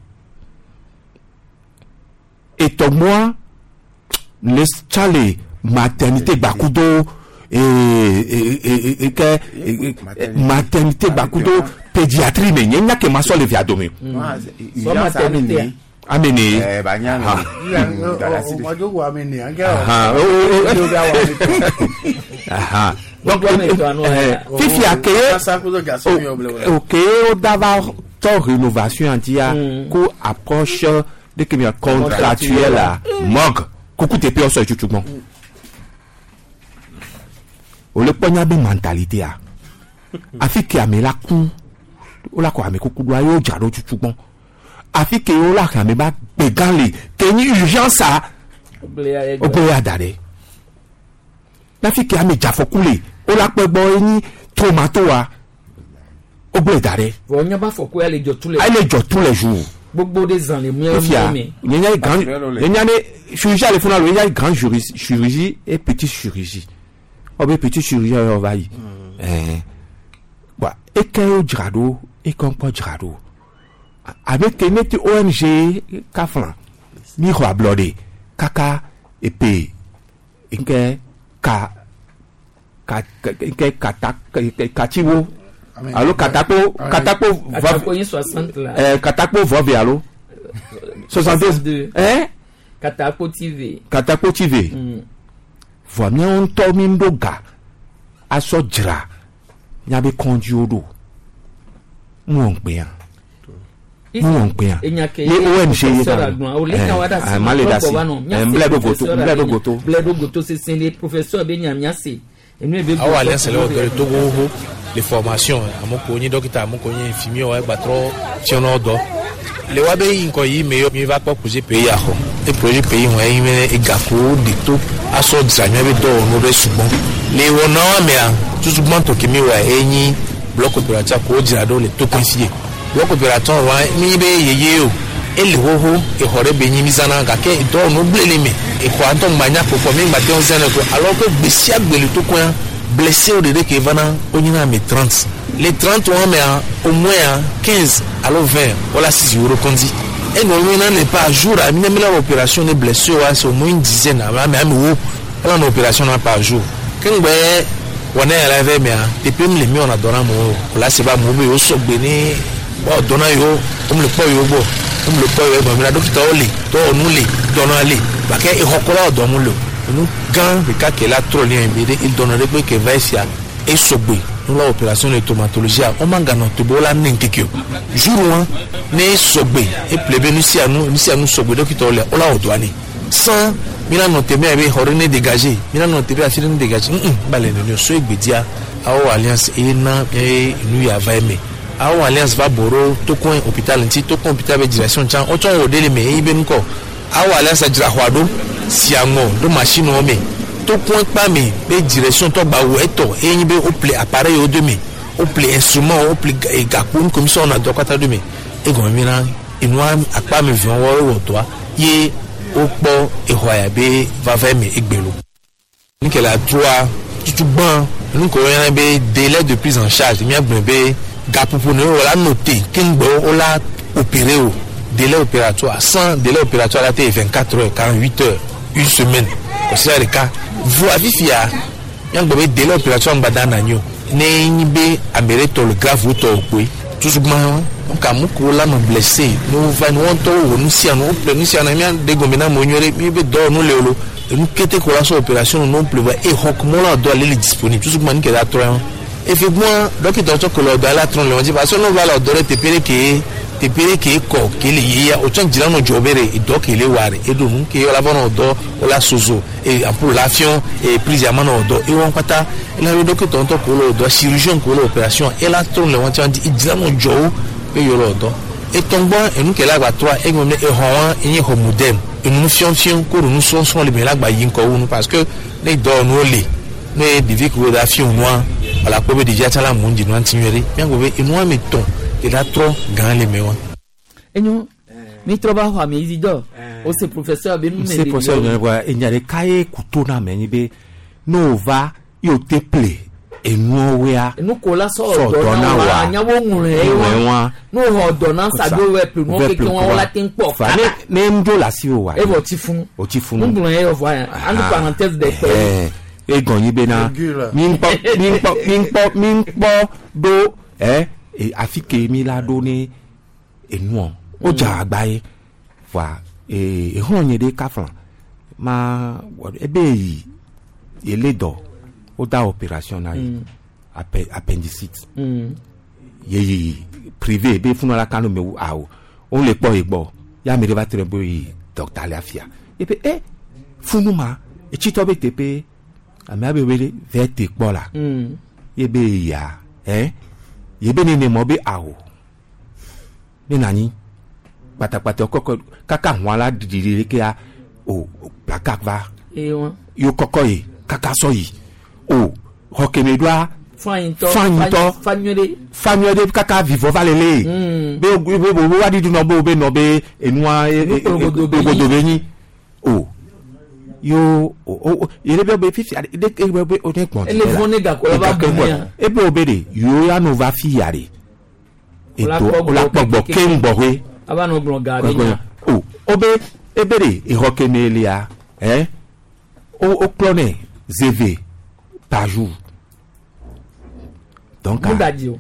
etɔgbɔa le tsa le maternité gbakudo ee ke maternité gbakudo pédiatrie me nye nya ke ma sɔ le via dome. Sɔ maternité. Amene. Donc fifia ke ok o dava tɔ rénovation ŋutia ko approche de ke mi contractuel la morgue kuku teƒe wosɔ tutu gbɔn wòle kpɔ nya be mentalité a afi ke ame la ku wola kɔ ame kuku ɖoa ye wodzra ɖo tutu gbɔn afi ke wola xe ame ba gbegã le ke nyi urgence a wogblẽ ya da ɖe afi ke ame dzafɔku le wola kpɔ gbɔ ye nyi traumatoa wogblẽ da ɖe. Vɔ nya ba fɔku ya le dzɔ tous les. Ele dzɔ tous les jours. Gbogbo de zan le mía Efia me. nye grand nye ne chirurgie ale funa lo nye grand chirurgie chirurgie et petite chirurgie ɔbɛ petite chirurgie yɔ va yi ɛɛ wa eke wo dzra ɖo eke ŋkpɔ dzra ɖo abe ke ne ti ONG kafla mi xɔ ablɔɖe kaka epe nke ka ka nke kata katsiwo alo katakpo katakpo Katakpo yi 60 la. ɛɛ katakpo vɔvi alo 62 ɛɛ Katakpo TV. katakpo TV vɔa míawo ŋutɔ mi ɖo ga asɔ dzra míabe kɔndziwo ɖo mu wɔ ŋkpɛa mu wɔ ŋkpɛa Enya ke ye ONG ye professeur agblɔ o le nya wa da si. ma le da si nblɛ ɖo goto nblɛ ɖo goto Blɛ ɖo goto sese le professeur be nya mía se. Enu ebe. Awo alliance le wɔ dɔ le Togo xoxo le formation ame ko nyi dɔkita ame ko nyi infirmier wo egbatrɔ fiɔnɔ dɔ le wa be yi ŋkɔ yi me yɔ mi va kpɔ projet pays axɔ e projet pays hɔn eyi me egako de to asɔ dzra mía be dɔwɔnuwo ɖe sugbɔ le wɔnawo mea tutugbãtɔ ke mi wɔa enyi bloc opératoire ko dzra ɖo le tokoe si ye bloc opératoire wa mi be yeye o ele xoxo exɔ ɖe be nyi mi zãna gake dɔwɔnuwo gblẽ le me exɔa ŋutɔ ŋgba nya kpɔkpɔ mi ŋgba te ŋu zãnɛ ko alors que gbe sia gbe le tokoea blessé wo ɖeɖe ke vana wonyina ame 30 le 30 wɔn mea au moins 15 alo 20 wala sisi wo ɖo kɔndzi enɔ nyina ne par jour a mi ne mi la wɔ opération ne blessé wa c'est au moins une dizaine ame ame ame wo wala na opération na par jour keŋgbɛ wɔnɛ yɛrɛ vɛ mea teƒe mi le mi wɔna dɔ na amewo o la se ba amewo be yewo sɔgbe ne wɔwɔ dɔ na yewo wo le kpɔ yewo gbɔ wo le kpɔ yewo gbɔ mi la dɔkitawo le dɔwɔnu le dɔnɔ le gake exɔkɔla wɔ dɔ mu le o enu gã ɖeka ke la trɔ le mi ɖe edɔnɔ ɖe kpe ke va esia esɔgbe nu la opération de traumatologie a woma ganɔ to be wola ne ŋkeke o jour wa ne esɔgbe eple be nu sia nu nu sia nu sɔgbe dɔkitawo le wola wɔ dɔa nɛ sans mina nɔ te mea be xɔ ɖe ne dégagé mina nɔ te be afi ɖe ne dégagé ŋu ba le nene o so egbedia awo alliance eye na eye nu ya va eme awo alliance va bɔ ɖo tokoe hôpital ŋuti tokoe hôpital be direction tsã wotsɔ wɔ ɖe le me eye be ŋkɔ awo alliance dzra xɔa ɖo si aŋɔ ɖo machine wo me tokoe kpa me be direction tɔ gba wɔ etɔ eye nyi be wople appareil wo do me wople instrument wo wople gakpo nu komisɔn wɔna dɔ katã do me egɔme mi na enua akpa me viwo wɔ dɔa ye wokpɔ exɔa ya be vava me egbelo nu ke la droa tutugbã nu ke woyɔna be délai de prise en charge míagblɔ be gaƒoƒo ne wò la note keŋgbɛ wola opéré o délai opératoire sans délai opératoire la te ye 24 heures 48 heures une semaine kɔsira ɖeka voa fifia míagblɔ be délai opératoire ŋgba da na nyi o ne nyi be ame ɖe tɔ le grave wotɔ o koe tutugbã donc ame kewo la nɔ blessé ne wova ne wɔn ŋutɔ wɔ nu sia nu woƒle nu sia nu mía ɖe gɔme na amewo nyuie ɖe mi be dɔwɔnu le o lo enu kete ko la sɔ opération nu ƒle va exɔ kumɔ la dɔ ale le disponible tutugbã nu ke la trɔ yɔ efi gbɔa dɔkita tsɔ ko le dɔ ale atrɔ le wɔn dzi parce que ne va le dɔ ɖe teƒe ɖe ke Teƒe ɖe ke kɔ ke le yeyea o tsã dzila nɔ dzɔ be ɖe edɔ ke le wa ɖe eɖo nu ke la va nɔ dɔ o la sozo e ampoule la fiɔ e prise ama nɔ dɔ ewɔ kpata ela be dɔkitɔ ŋutɔ ko le dɔ chirurgien ko le opération ela trɔ le wɔn tsã di edzila nɔ dzɔ wo be yewo le dɔ etɔngbɔ enu ke la gba trɔa egblɔ ne exɔ wa enye xɔ moderne enu fiɔfiɔ ko nu srɔ̃srɔ̃ le me la gba yi ŋkɔ wu nu parce que ne dɔwɔnuwo le ne ɖevi kewo da fiɔ nua wala kpɔ be ɖevia tsã la mu dzi nua ŋuti nyuie ɖe míagblɔ be enua me tɔn ke la trɔ gã le me wa. Enyo mi trɔ va xɔ ame Isidore o se professeur be nu me se professeur be wa enya ɖeka ye kuto na ame nyi be ne o va ye o te ple enuawoea enu ko la sɔ dɔ na wa anya wo ŋlɔe wa ne o xɔ dɔ na sa do wɛ ple nuwo keke wa wo la te kpɔ fa ne ne ŋdzo le asi wo wa evɔ ti funu o ti funu ŋgblɔ ye vɔ ya anu parenthèse de kpe egɔn nyi bena mi ŋkpɔ mi ŋkpɔ mi ŋkpɔ mi ŋkpɔ ɖo ɛ afi ke mi la ɖo ne enuɔ o dza agba ye voa exlɔ nye ɖe kafla ma ebe yi ele dɔ o da opération na ye appendicite ye yi privé be funu la kanu me awo o le kpɔ ye gbɔ ya ame ɖe va trɔ be yi docteur le afia ebe e funu ma etsitɔ be teƒe amea be wele vɛ te kpɔ la ye be ya ɛ ye be nene mɔ be awo ne nanyi kpatakpata kɔkɔ kaka hɔn la ɖiɖi ɖe kea o plaka va yo kɔkɔ yi kaka sɔ yi o xɔ keme ɖoa fanyitɔ fanyuie ɖe kaka vivɔ va lele be be be wa ɖiɖi nɔ be be nɔ be enua kpologodo be nyi o yo o yɛrɛ bɛ be fifi de e bɛ be o ne kpɔn ele vɔn ne gakɔ la va bonya e be o be de yo ya no va fi ya de eto o la kpɔ gbɔ keŋ gbɔƒe ava nɔ gblɔ ga be nya o o be e be de exɔ keme lia ɛ o o klɔ nɛ zeve par jour donc mo da di o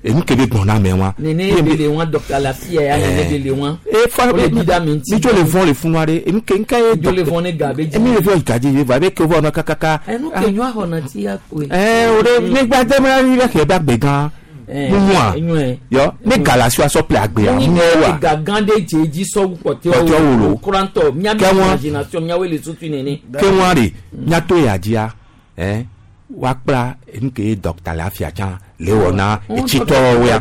enu ke be gbɔn na mɛ wa. Nene de le wa docteur Lafia ya nene de le wa. E fa o le di da mi ti. Mi tso le vɔn le funu aɖe enu ke nka ye. Mi tso le vɔn ne ga be dzi. Emi le vɔn gadzi ye va ebe ke vɔ nɔ kakaka. Enu ke nyɔ xɔ na ti ya koe. Ɛɛ o de ne gba de ma yi bɛ kɛ bɛ agbe gã. Mumua yɔ ne galasi wa sɔ ple agbea mumua wa. Ga gã ɖe dze dzi sɔwu kpɔtɛwo wolo. Kurantɔ miabe imagination miawoe le tutu nene. Keŋua de miato ya dzia ɛ woakpla enu ke ye dɔkta le afia tsã le wɔ na etsitɔwo ya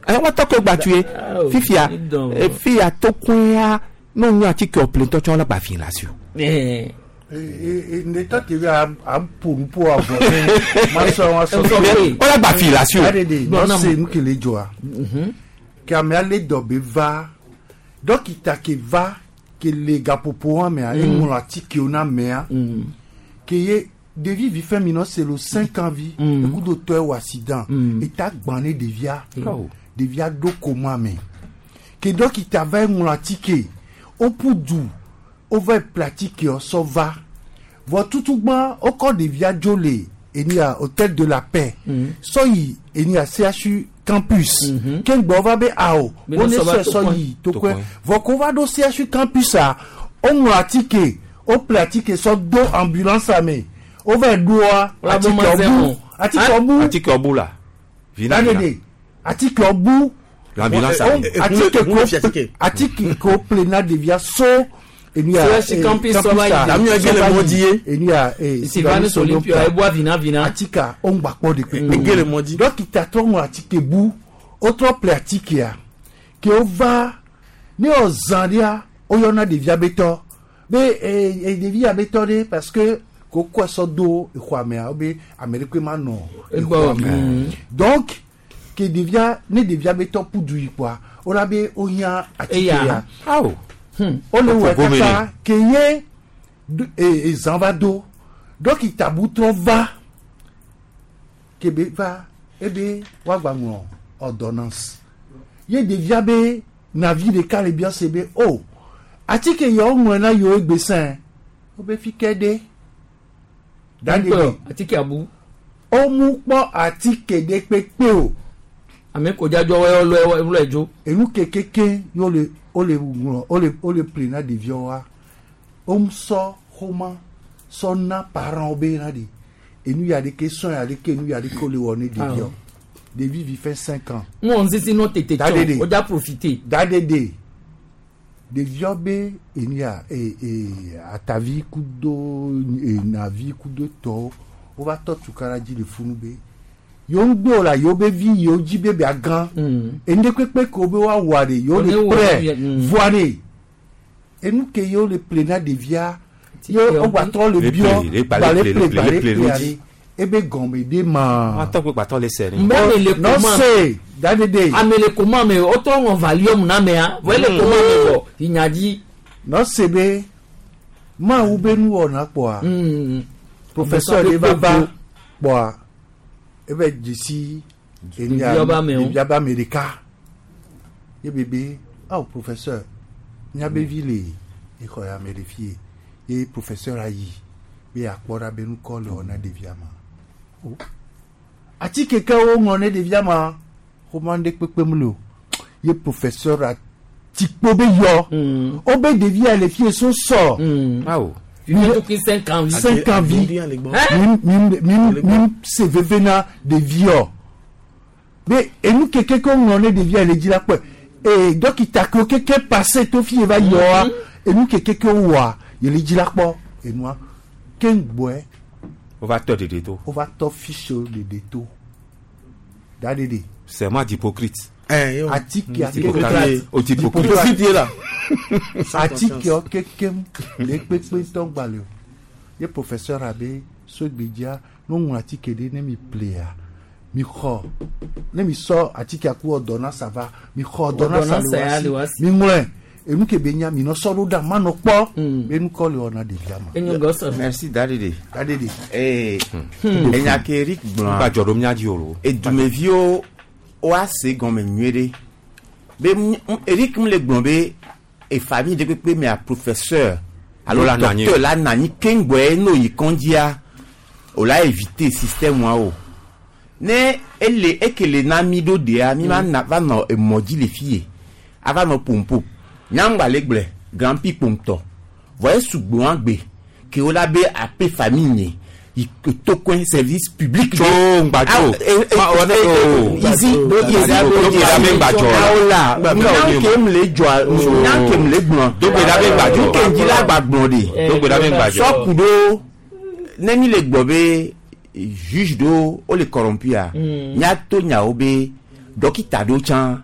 ɛ woatɔ ke gbatue fifia fia tokoea ne wonyo atike ɔple ŋutɔ tsã wole gba fi le asi o. Ne tɔ te be a ƒo nu ƒo avɔ ma sɔ ma sɔ. Wole gba fi le asi o. Aɖe de nu ke le dzɔa ke amea le dɔ be va dɔkita ke va ke le gaƒoƒo hã mea eŋlɔ atikewo na amea ke ye ɖevi vi fɛn mi nɔ se lo 5 ans vi ekudo tɔ wɔ accident eta gbã ne ɖevia ɖevia ɖo koma me ke dɔkita va eŋlɔ atike woƒu du wova ƒle atikewo sɔ va vɔ tutugbã wokɔ ɖevia dzo le enia hôtel de la paix sɔ yi enia CHU campus keŋgbɔ wova be awo wone sɔe sɔ yi tokoe vɔ ko va ɖo CHU campus a woŋlɔ atike woƒle atike sɔ do ambulance me wova ɖoa atike ɔbu atike ɔbu la vina vina atike ɔbu l'ambulance atike ko ƒle na ɖevia so enia campus enia Sylvanus Olympio eboa vina vina atika ongba kpɔ de kpe dɔkita trɔ ŋlɔ atike bu wotrɔ ƒle atikea ke wova ne wòzã ɖea woyɔna ɖevia be tɔ be ɖevia be tɔ ɖe parce que kokɔ sɔ do exɔa mea wobe ame ɖe koe ma nɔ exɔa me donc ke ɖevia ne ɖevia be tɔ ƒu du yi kpoa wola be wohiã atikea wole wɔ kaka ke ye ezã va do dɔkita bu trɔ va ke be va ebe woagba ŋlɔ ordonnance ye ɖevia be navi ɖeka le bia se be o atike yawo ŋlɔ na yewo egbe sɛn wobe fi ke ɖe dani atike abu womu kpɔ atike ɖe kpekpe o ame ko dzadzɔ wɔ lɔ dzo enu kekeke ye le wole ŋlɔ wole ple na ɖeviawoa womusɔ xɔma sɔ na parents be na de enu ya ɖeke sɔn ya ɖeke enu ya ɖeke wole wɔ ne ɖeviawo. Ɖevi vi fait 5 ans. Ŋun sisi nɔ tete Dadede. tsɔ o dza profiter. Dadede. Ɖeviɔ be enia e e atavi kudo enavi kudo tɔwo wova tɔ tukara dzi le funu be yewo ŋgbe o la yewo be vi yewo dzi be bia gã. Enu kpekpe ke wo be woawɔa ɖe yewo One le wɔ prɛ ɖe, voa ɖe enu ke yewo le ple na ɖevia ye wogbatrɔ le Le biɔ ple, le gba gba le le ple, ple le gba ple, le le ple ple ŋuti. ɖe ebe gɔme ɖe ma. Atɔ kpe gbatɔ le sɛ ni. Mbɛ me le Non koma. se dadede. Ame le koma me o tɔ ŋɔ valium na mea vɔ ele koma me vɔ inya dzi. Nɔse be mawu be nuwɔna kpɔa professeur ɖe va va kpɔa ebe dzesi enya Ɖevia be amewo. ɖevia be ame ɖeka ye bebe awo professeur miabe vi le exɔ ya me ɖe fie ye professeur ayi be akpɔ ɖa be nukɔ le wɔ na ɖevia ma O. atike ke woŋlɔ ne ɖevia ma xɔma ɖe kpekpe mu le o ye professeur atikpo be yɔ wobe ɖevia le fie so sɔ. Awo. Fifi tukui 5 ans vi. 5 ans vi mi mi mi se veve na ɖeviɔ be enu keke ke woŋlɔ ne ɖevia le dzi la kpɔe ee dɔkita ke keke passe to fi ye va yɔa enu keke ke wowɔa ye le dzi la kpɔ enua ke ŋgbɔe Wova tɔ ɖeɖe to. wova tɔ fiche ɖeɖe to da ɖeɖe Serment d'hypocrite. atike Hippocrate. O d'hypocrite. atikewo kekem le kpekpe ŋutɔ gbalẽ o ye professeur abe sogbedzia ne woŋlɔ atike ɖe ne mi plea mi xɔ ne mi sɔ atikea ku ordonnance va mi xɔ ordonnance Ordonnance ya le le wa wa si si. mi ŋlɔe enu ke be nya mi nɔ sɔ ɖo ɖa manɔ kpɔ be nukɔ le wɔna ɖevia ma. Enyo gɔsɔ. Merci Dadede. Dadede. Ee, enya ke Eric gblɔa. Gba dzɔ ɖo mía dzi o lo. Edumeviwo woase gɔme nyuie ɖe. Be Eric m le gblɔ be e famille ɖe kpekpe mea professeur alo La nɔ anyi. docteur la nɔ anyi keŋgbɔe n'o yi kɔndzia o la éviter système wa o. Ne ele ekele na mi ɖo ɖea mi ma na va nɔ emɔ dzi le fie ava nɔ pompo nyaŋgba le gblɔe grand prix pomtɔ vɔ esugbɔ hã gbe ke wo la be ape famille nye yi tokoe service public. Tso ŋgba tso. Ma wɔ ne o. Izi Do gbe ɖa be ŋgba dzɔ la. awo la Ŋgba dzɔ nyanke m le dzɔa nyanke m le gblɔ. Do gbe ɖa be ŋgba dzɔ. Nke dzi la gba gblɔ de. Do gbe ɖa be ŋgba dzɔ. Sɔku ɖo ne mi le gblɔ be juge ɖewo wo le corrompua míato nyawo be dɔkita ɖewo tsã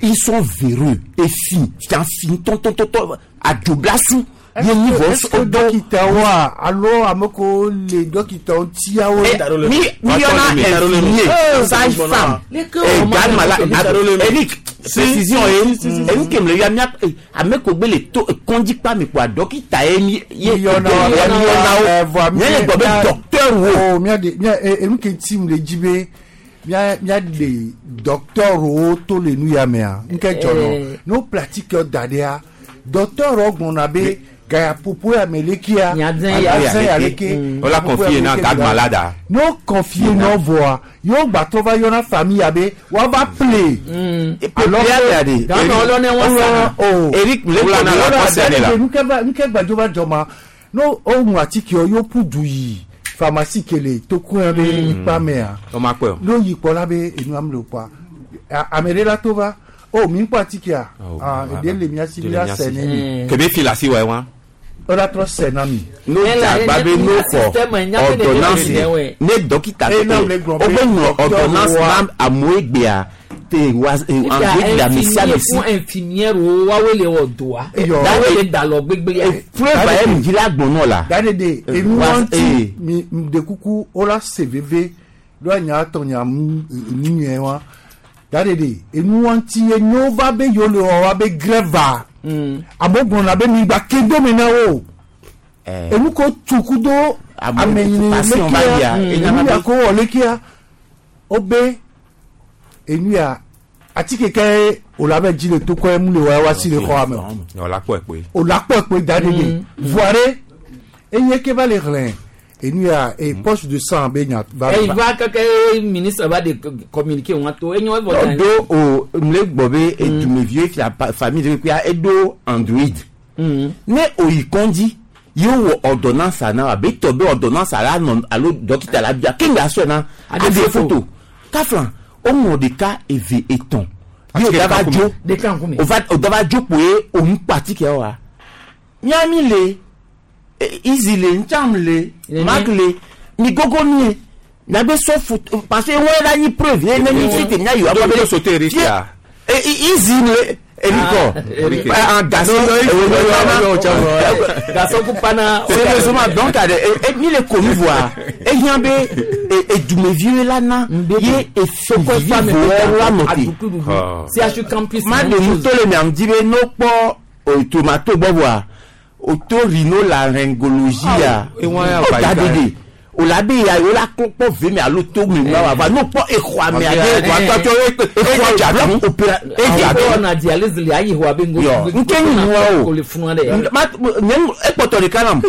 ils sont véreux efi tsã fi ŋutɔŋutɔŋutɔ adzoblasu ye nyi vɔ Est-ce que dɔkitawoa alo ame kewo le dɔkitawo tiawo. mi mi yɔna infirmier sage femme garde malade Eric précision ye enu ke mle ya mia ame ko gbe le to kɔndzikpa mi kpoa dɔkita ye mi ye yɔna wo mi le gbɔ be docteur wo. mia de mia enu ke ti mu le dzi be mia mia de docteur wo to le nu ya mea nke dzɔ nɔ ne wo pratique da ɖea docteur wo gblɔna be gayapopo ya me lekia ya ya leke Wo la confier na garde malade a. ne wo confie nɔ vɔa yewo gbatɔ va yɔna famille ya be woava ple. Eric nuke gbadzo va dzɔ ma ne woŋu atikewo yewo ƒu du yi pharmacie ke le tokoe be ikpa mea Woma kpɔe o. ne woyi kpɔ la be enua mle o kpɔa ame ɖe la to va o mi kpɔ atikea ah eɖe le mia si mi la sɛ ne mi Kebe fi la si wɔ wa. o la trɔ sɛ na mi. n'o jagba be n'o fɔ ordonnance ne dɔkita Eh, non, le gblɔ o be bɛ ŋlɔ docteur ordonnance wa. na amewo egbea te wa angbe le ame sia ame si. fún infirmière wo wáwé le wɔ doa wáwé le dalɔ gbégbé ya. Preuve ye mi dzi la gbɔn nɔ la. Dadede enu Wa- wɔnti mi de kuku o la se veve do anya tɔ nya nu nyuie wa dadede enu wɔnti ye n'o va be yewo le wɔ wa be grève amewo gblɔna be mi gba ke do mi na wo enu ko tuku do ame nyini passion va yia, lekia enya enu va ya be- ko wɔ lekia o be enu ya atike ke o la be dzi le tokɔ mu le wɔ wa si le xɔ ame o Wɔ la kpɔe kpoe. o la kpɔ kpe da ɖe de voire eye ke va le xlẽ enu ya e poche de sang be nya va ẹ ìfá kẹkẹ ministre bá de communiquer wọn tó enyo ẹfọ Eɖo o mle gbɔ be edumeviwo fia famille ɖe kpekpea eɖo android. Ne oyi kɔndzi ye wɔ ordonnance na abe tɔ be ordonnance la nɔ alo dɔkita la bia ke ŋga sɔe na aɖe photo kafla Woŋlɔ ɖeka, eve, etɔ̃. Ye wòda va dzo. Ɖeka ŋkume. Wòva wòda va dzo kpoe ònu kpɔ atike wa. Mía mi le, Easy le, Ntsam le, Mark le, mi gogo mie. Miagbe sɔ foto parce que wɔe la nyi preuve ye ne mi fi te mía yi Do do sote Eric ya. Easy le Erikɔ. Eric. Ah, garçon. Garçon ku pana. Sérieusement, donc mi le connu voa. Ehiã be edumeviwo la na ye efivi voa la nɔ te. CHU campus. Ma de ŋutɔ le miam di be no kpɔ tomato gbɔ voa oto rhinolaryngologie ya. O da ɖeɖe. O la be ya o la kpɔ ve me alo to me ma wa va no kpɔ exɔa mea ɖe. Exɔa dza opéra edza do. Na dialyse le ayi xɔa be ŋgo. Yɔ nke nyi nua o. Le funua ɖe. Ma nye ekpɔtɔ ɖeka nam.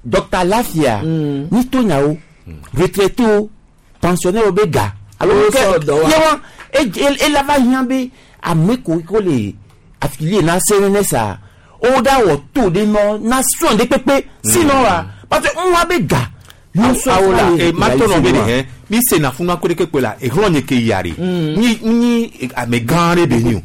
Dr Lafia ni to nyawo retraité wo pensionnaire wo be ga alo Wo ke sɔ dɔ wa. ye wa ela va hiã be ame ko ko le affilié na CNS a o da wɔ to ɖe nɔ na soin ɖe kpekpe sinon wa parce que ŋua be ga yɔ sɔ awo la fún e ma tɔ nɔ be de wa. hɛn mi se na funu akó ɖeke kpe la ehlɔ nye ke yia de nyi nyi ame gã ɖe be nyi o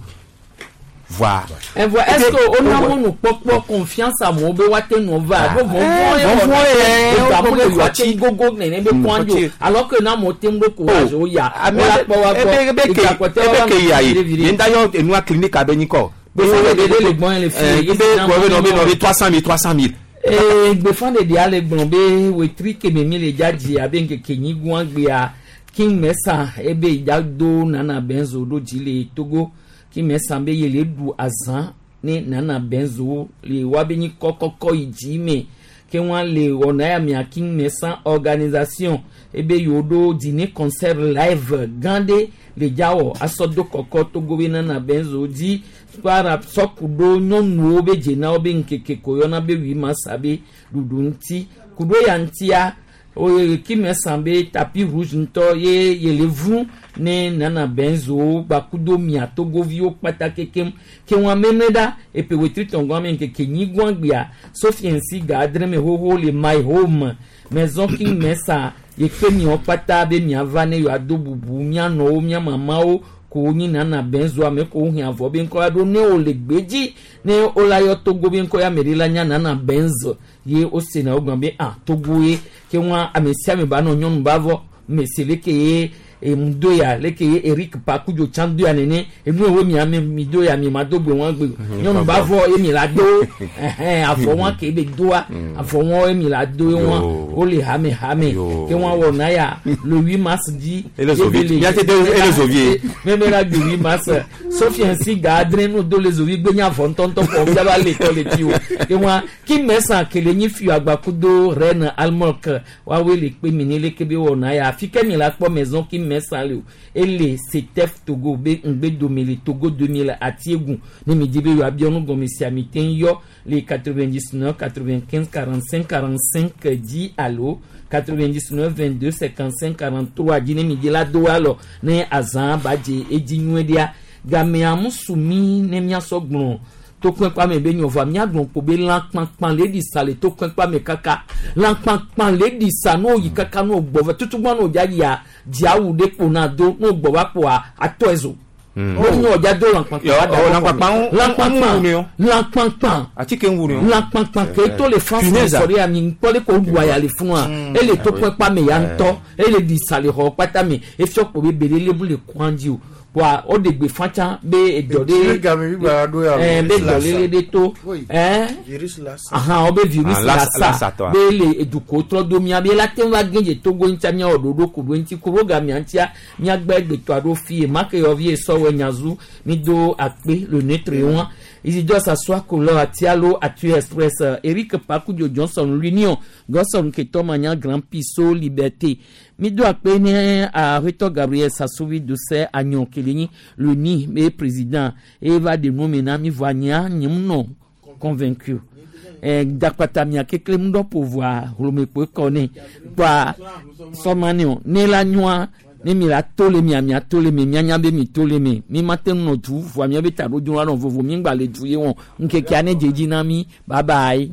voa. Evoa est-ce que ona mɔnu kpɔkpɔ confiance amewo be woate nɔ va ɖo vɔvɔ ye vɔvɔ̃ ye, wɔna wo egamu le woate gogo nene be kɔn dzo alors que na amewo te ŋu ɖo courage wo ya ame wo la kpɔ wa gbɔ ebe ke egakpɔtɛ ebe wa ke yia viɖe ye viɖe. ye ŋda yɔ enua clinique abe nyikɔ. Gbeƒã ɖeɖe le gbɔn le fi ye ebe si na gbɔ be nɔ be mɔ- nɔ be 300 000 300 000. Ee, gbeƒãɖeɖia le gblɔ be wetri keme mi le dzadzi abe ŋkeke nyigua gbea King Mesa ebe yidza do Nana Benzo ɖo dzi le Togo. King Mesa be ye le ɖu azã ne Nana Benzo le woabe nyi kɔkɔkɔ yi dzi me ke wɔn le wɔna ya mia King Mesa organisation ebe yewo ɖo dîner concert live gã ɖe le dzawɔ asɔ do kɔkɔ Togo be Nana Benzo dzi para sɔku ɖo nyɔnuwo be dzenawo be ŋkeke ko yɔna be 8 mars be ɖuɖu ŋuti kuɖo ya ŋutia oye kime san be tapis rouge ŋutɔ ye yele vu ne Nana Benzo gbakudo mia togoviwo kpata kekem ke wɔn ameme ɖa epe wetri tɔngɔ ame ŋkeke nyigua gbea Sophie nsi ga adre me xoxo le my home maison King Mesa ye kpe miawo kpata be miava ne yewoado bubu mianɔwo mia mamawo ko nyi Nana Benzo ame ko hiã vɔ be ŋkɔ ya ɖo ne wo le gbedzi ne wo la yɔ Togo be ŋkɔ ya ame ɖe la nya Nana Benzo ye wo sena wo gblɔ be ah Togo ye ke wɔn ame sia ame ba nɔ nyɔnu ba vɔ mesi leke ye emu do ya leke ye Eric Pakudzo tsã do ya nene enu yewo mi ame mi do ya mi ma do gbe wɔn gbe nyɔnu ba vɔ ye mi la do ɛhɛn avɔ wɔn ke be doa avɔ wɔn ye mi la do ye wɔn wo le hame hame ke wɔn wɔ na ya le 8 mars dzi Ele ye be zovi. le- Miate do ele zovi. meme la gbe 8 mars Sophie nsi ga adre nu do le zovi gbe nya avɔ ŋutɔŋutɔ kɔ fiaba le tɔ le dzi o ke wɔn King Mesa kele nyi fi agbakudo reine Almok woawoe le kpe mi ne leke be wɔna ya afi ke mi la kpɔ maison King Mesa le o ele Setef Togo be ŋgbe dome le Togo 2000 Atiegu ne mi di be yewoabiɔ nu gɔme sia mi te yɔ le 99 95 45 45 dzi alo 99 22 55 43 dzi ne mi di la do alɔ ne azã ba dze edzi nyuie ɖea gamea musu mi ne miasɔ gblɔ tokpɛkpa me be nyɔvua miagblɔ kpo be lãkpakpa le ɖi sa le tokpɛkpa me kaka lãkpakpa le ɖi sa n'o yi kaka n'o gbɔ vɛ tutugbɔ n'o dza yia dziawu ɖe kpo na do n'o gbɔ va kpoa atɔ ezo o ní ọjà do lãkpakpa Yɔ, ɔ, lãkpakpa ŋu- lãkpakpa ŋu ni o. lãkpakpa Atike ŋu ni o. lãkpakpa ke to le France Punaise. sɔ ɖe ami ŋkpɔ le ko ɖu aya le funua ele tokpɛkpa me ya ŋutɔ ele ɖi sa le xɔ kpata me efiɔ kpo be bele lebu le kɔn dzi o wa o de gbe fatsa be edɔ Etsi ɖe game bi gba ɖo ya ɛɛ be virus dɔlele lassa. ɖe to Oui. ɛɛ Virus lassa. ahan wo be virus Ah, lassa lassa tɔa. be le eduko trɔ do mia be la te va gɛdze Togo ŋutia miawɔ ɖoɖo ku ɖo ŋuti ku ɖo gamia ŋutia miagbe gbetɔ aɖo fie make yɔvi esɔwɔ nyazu mi do akpe le neutre wa Isidore Sassoua Kolo Atialo Atu Express Eric Pakudio Johnson l'Union Gosson Keto Manya Grand Piso Liberté mi do akpe ne aƒetɔ Gabriel Sassovi Dose Agnon Kelenyi le ni be président eva de nu me na mi vɔ anyia nyem nɔ convaincu dakpata mia kekle ŋu dɔ ƒo hlomekpoe kɔ ne kpa sɔmani o ne la nyɔa ne mi la to le mia mia to le mi mianya be mi to le mi mi ma te ŋu nɔ du vɔa mia be taɖodzinu la nɔ vovo mi ŋgba le du ye wɔn ŋkekea ne dze dzi na mi bye bye.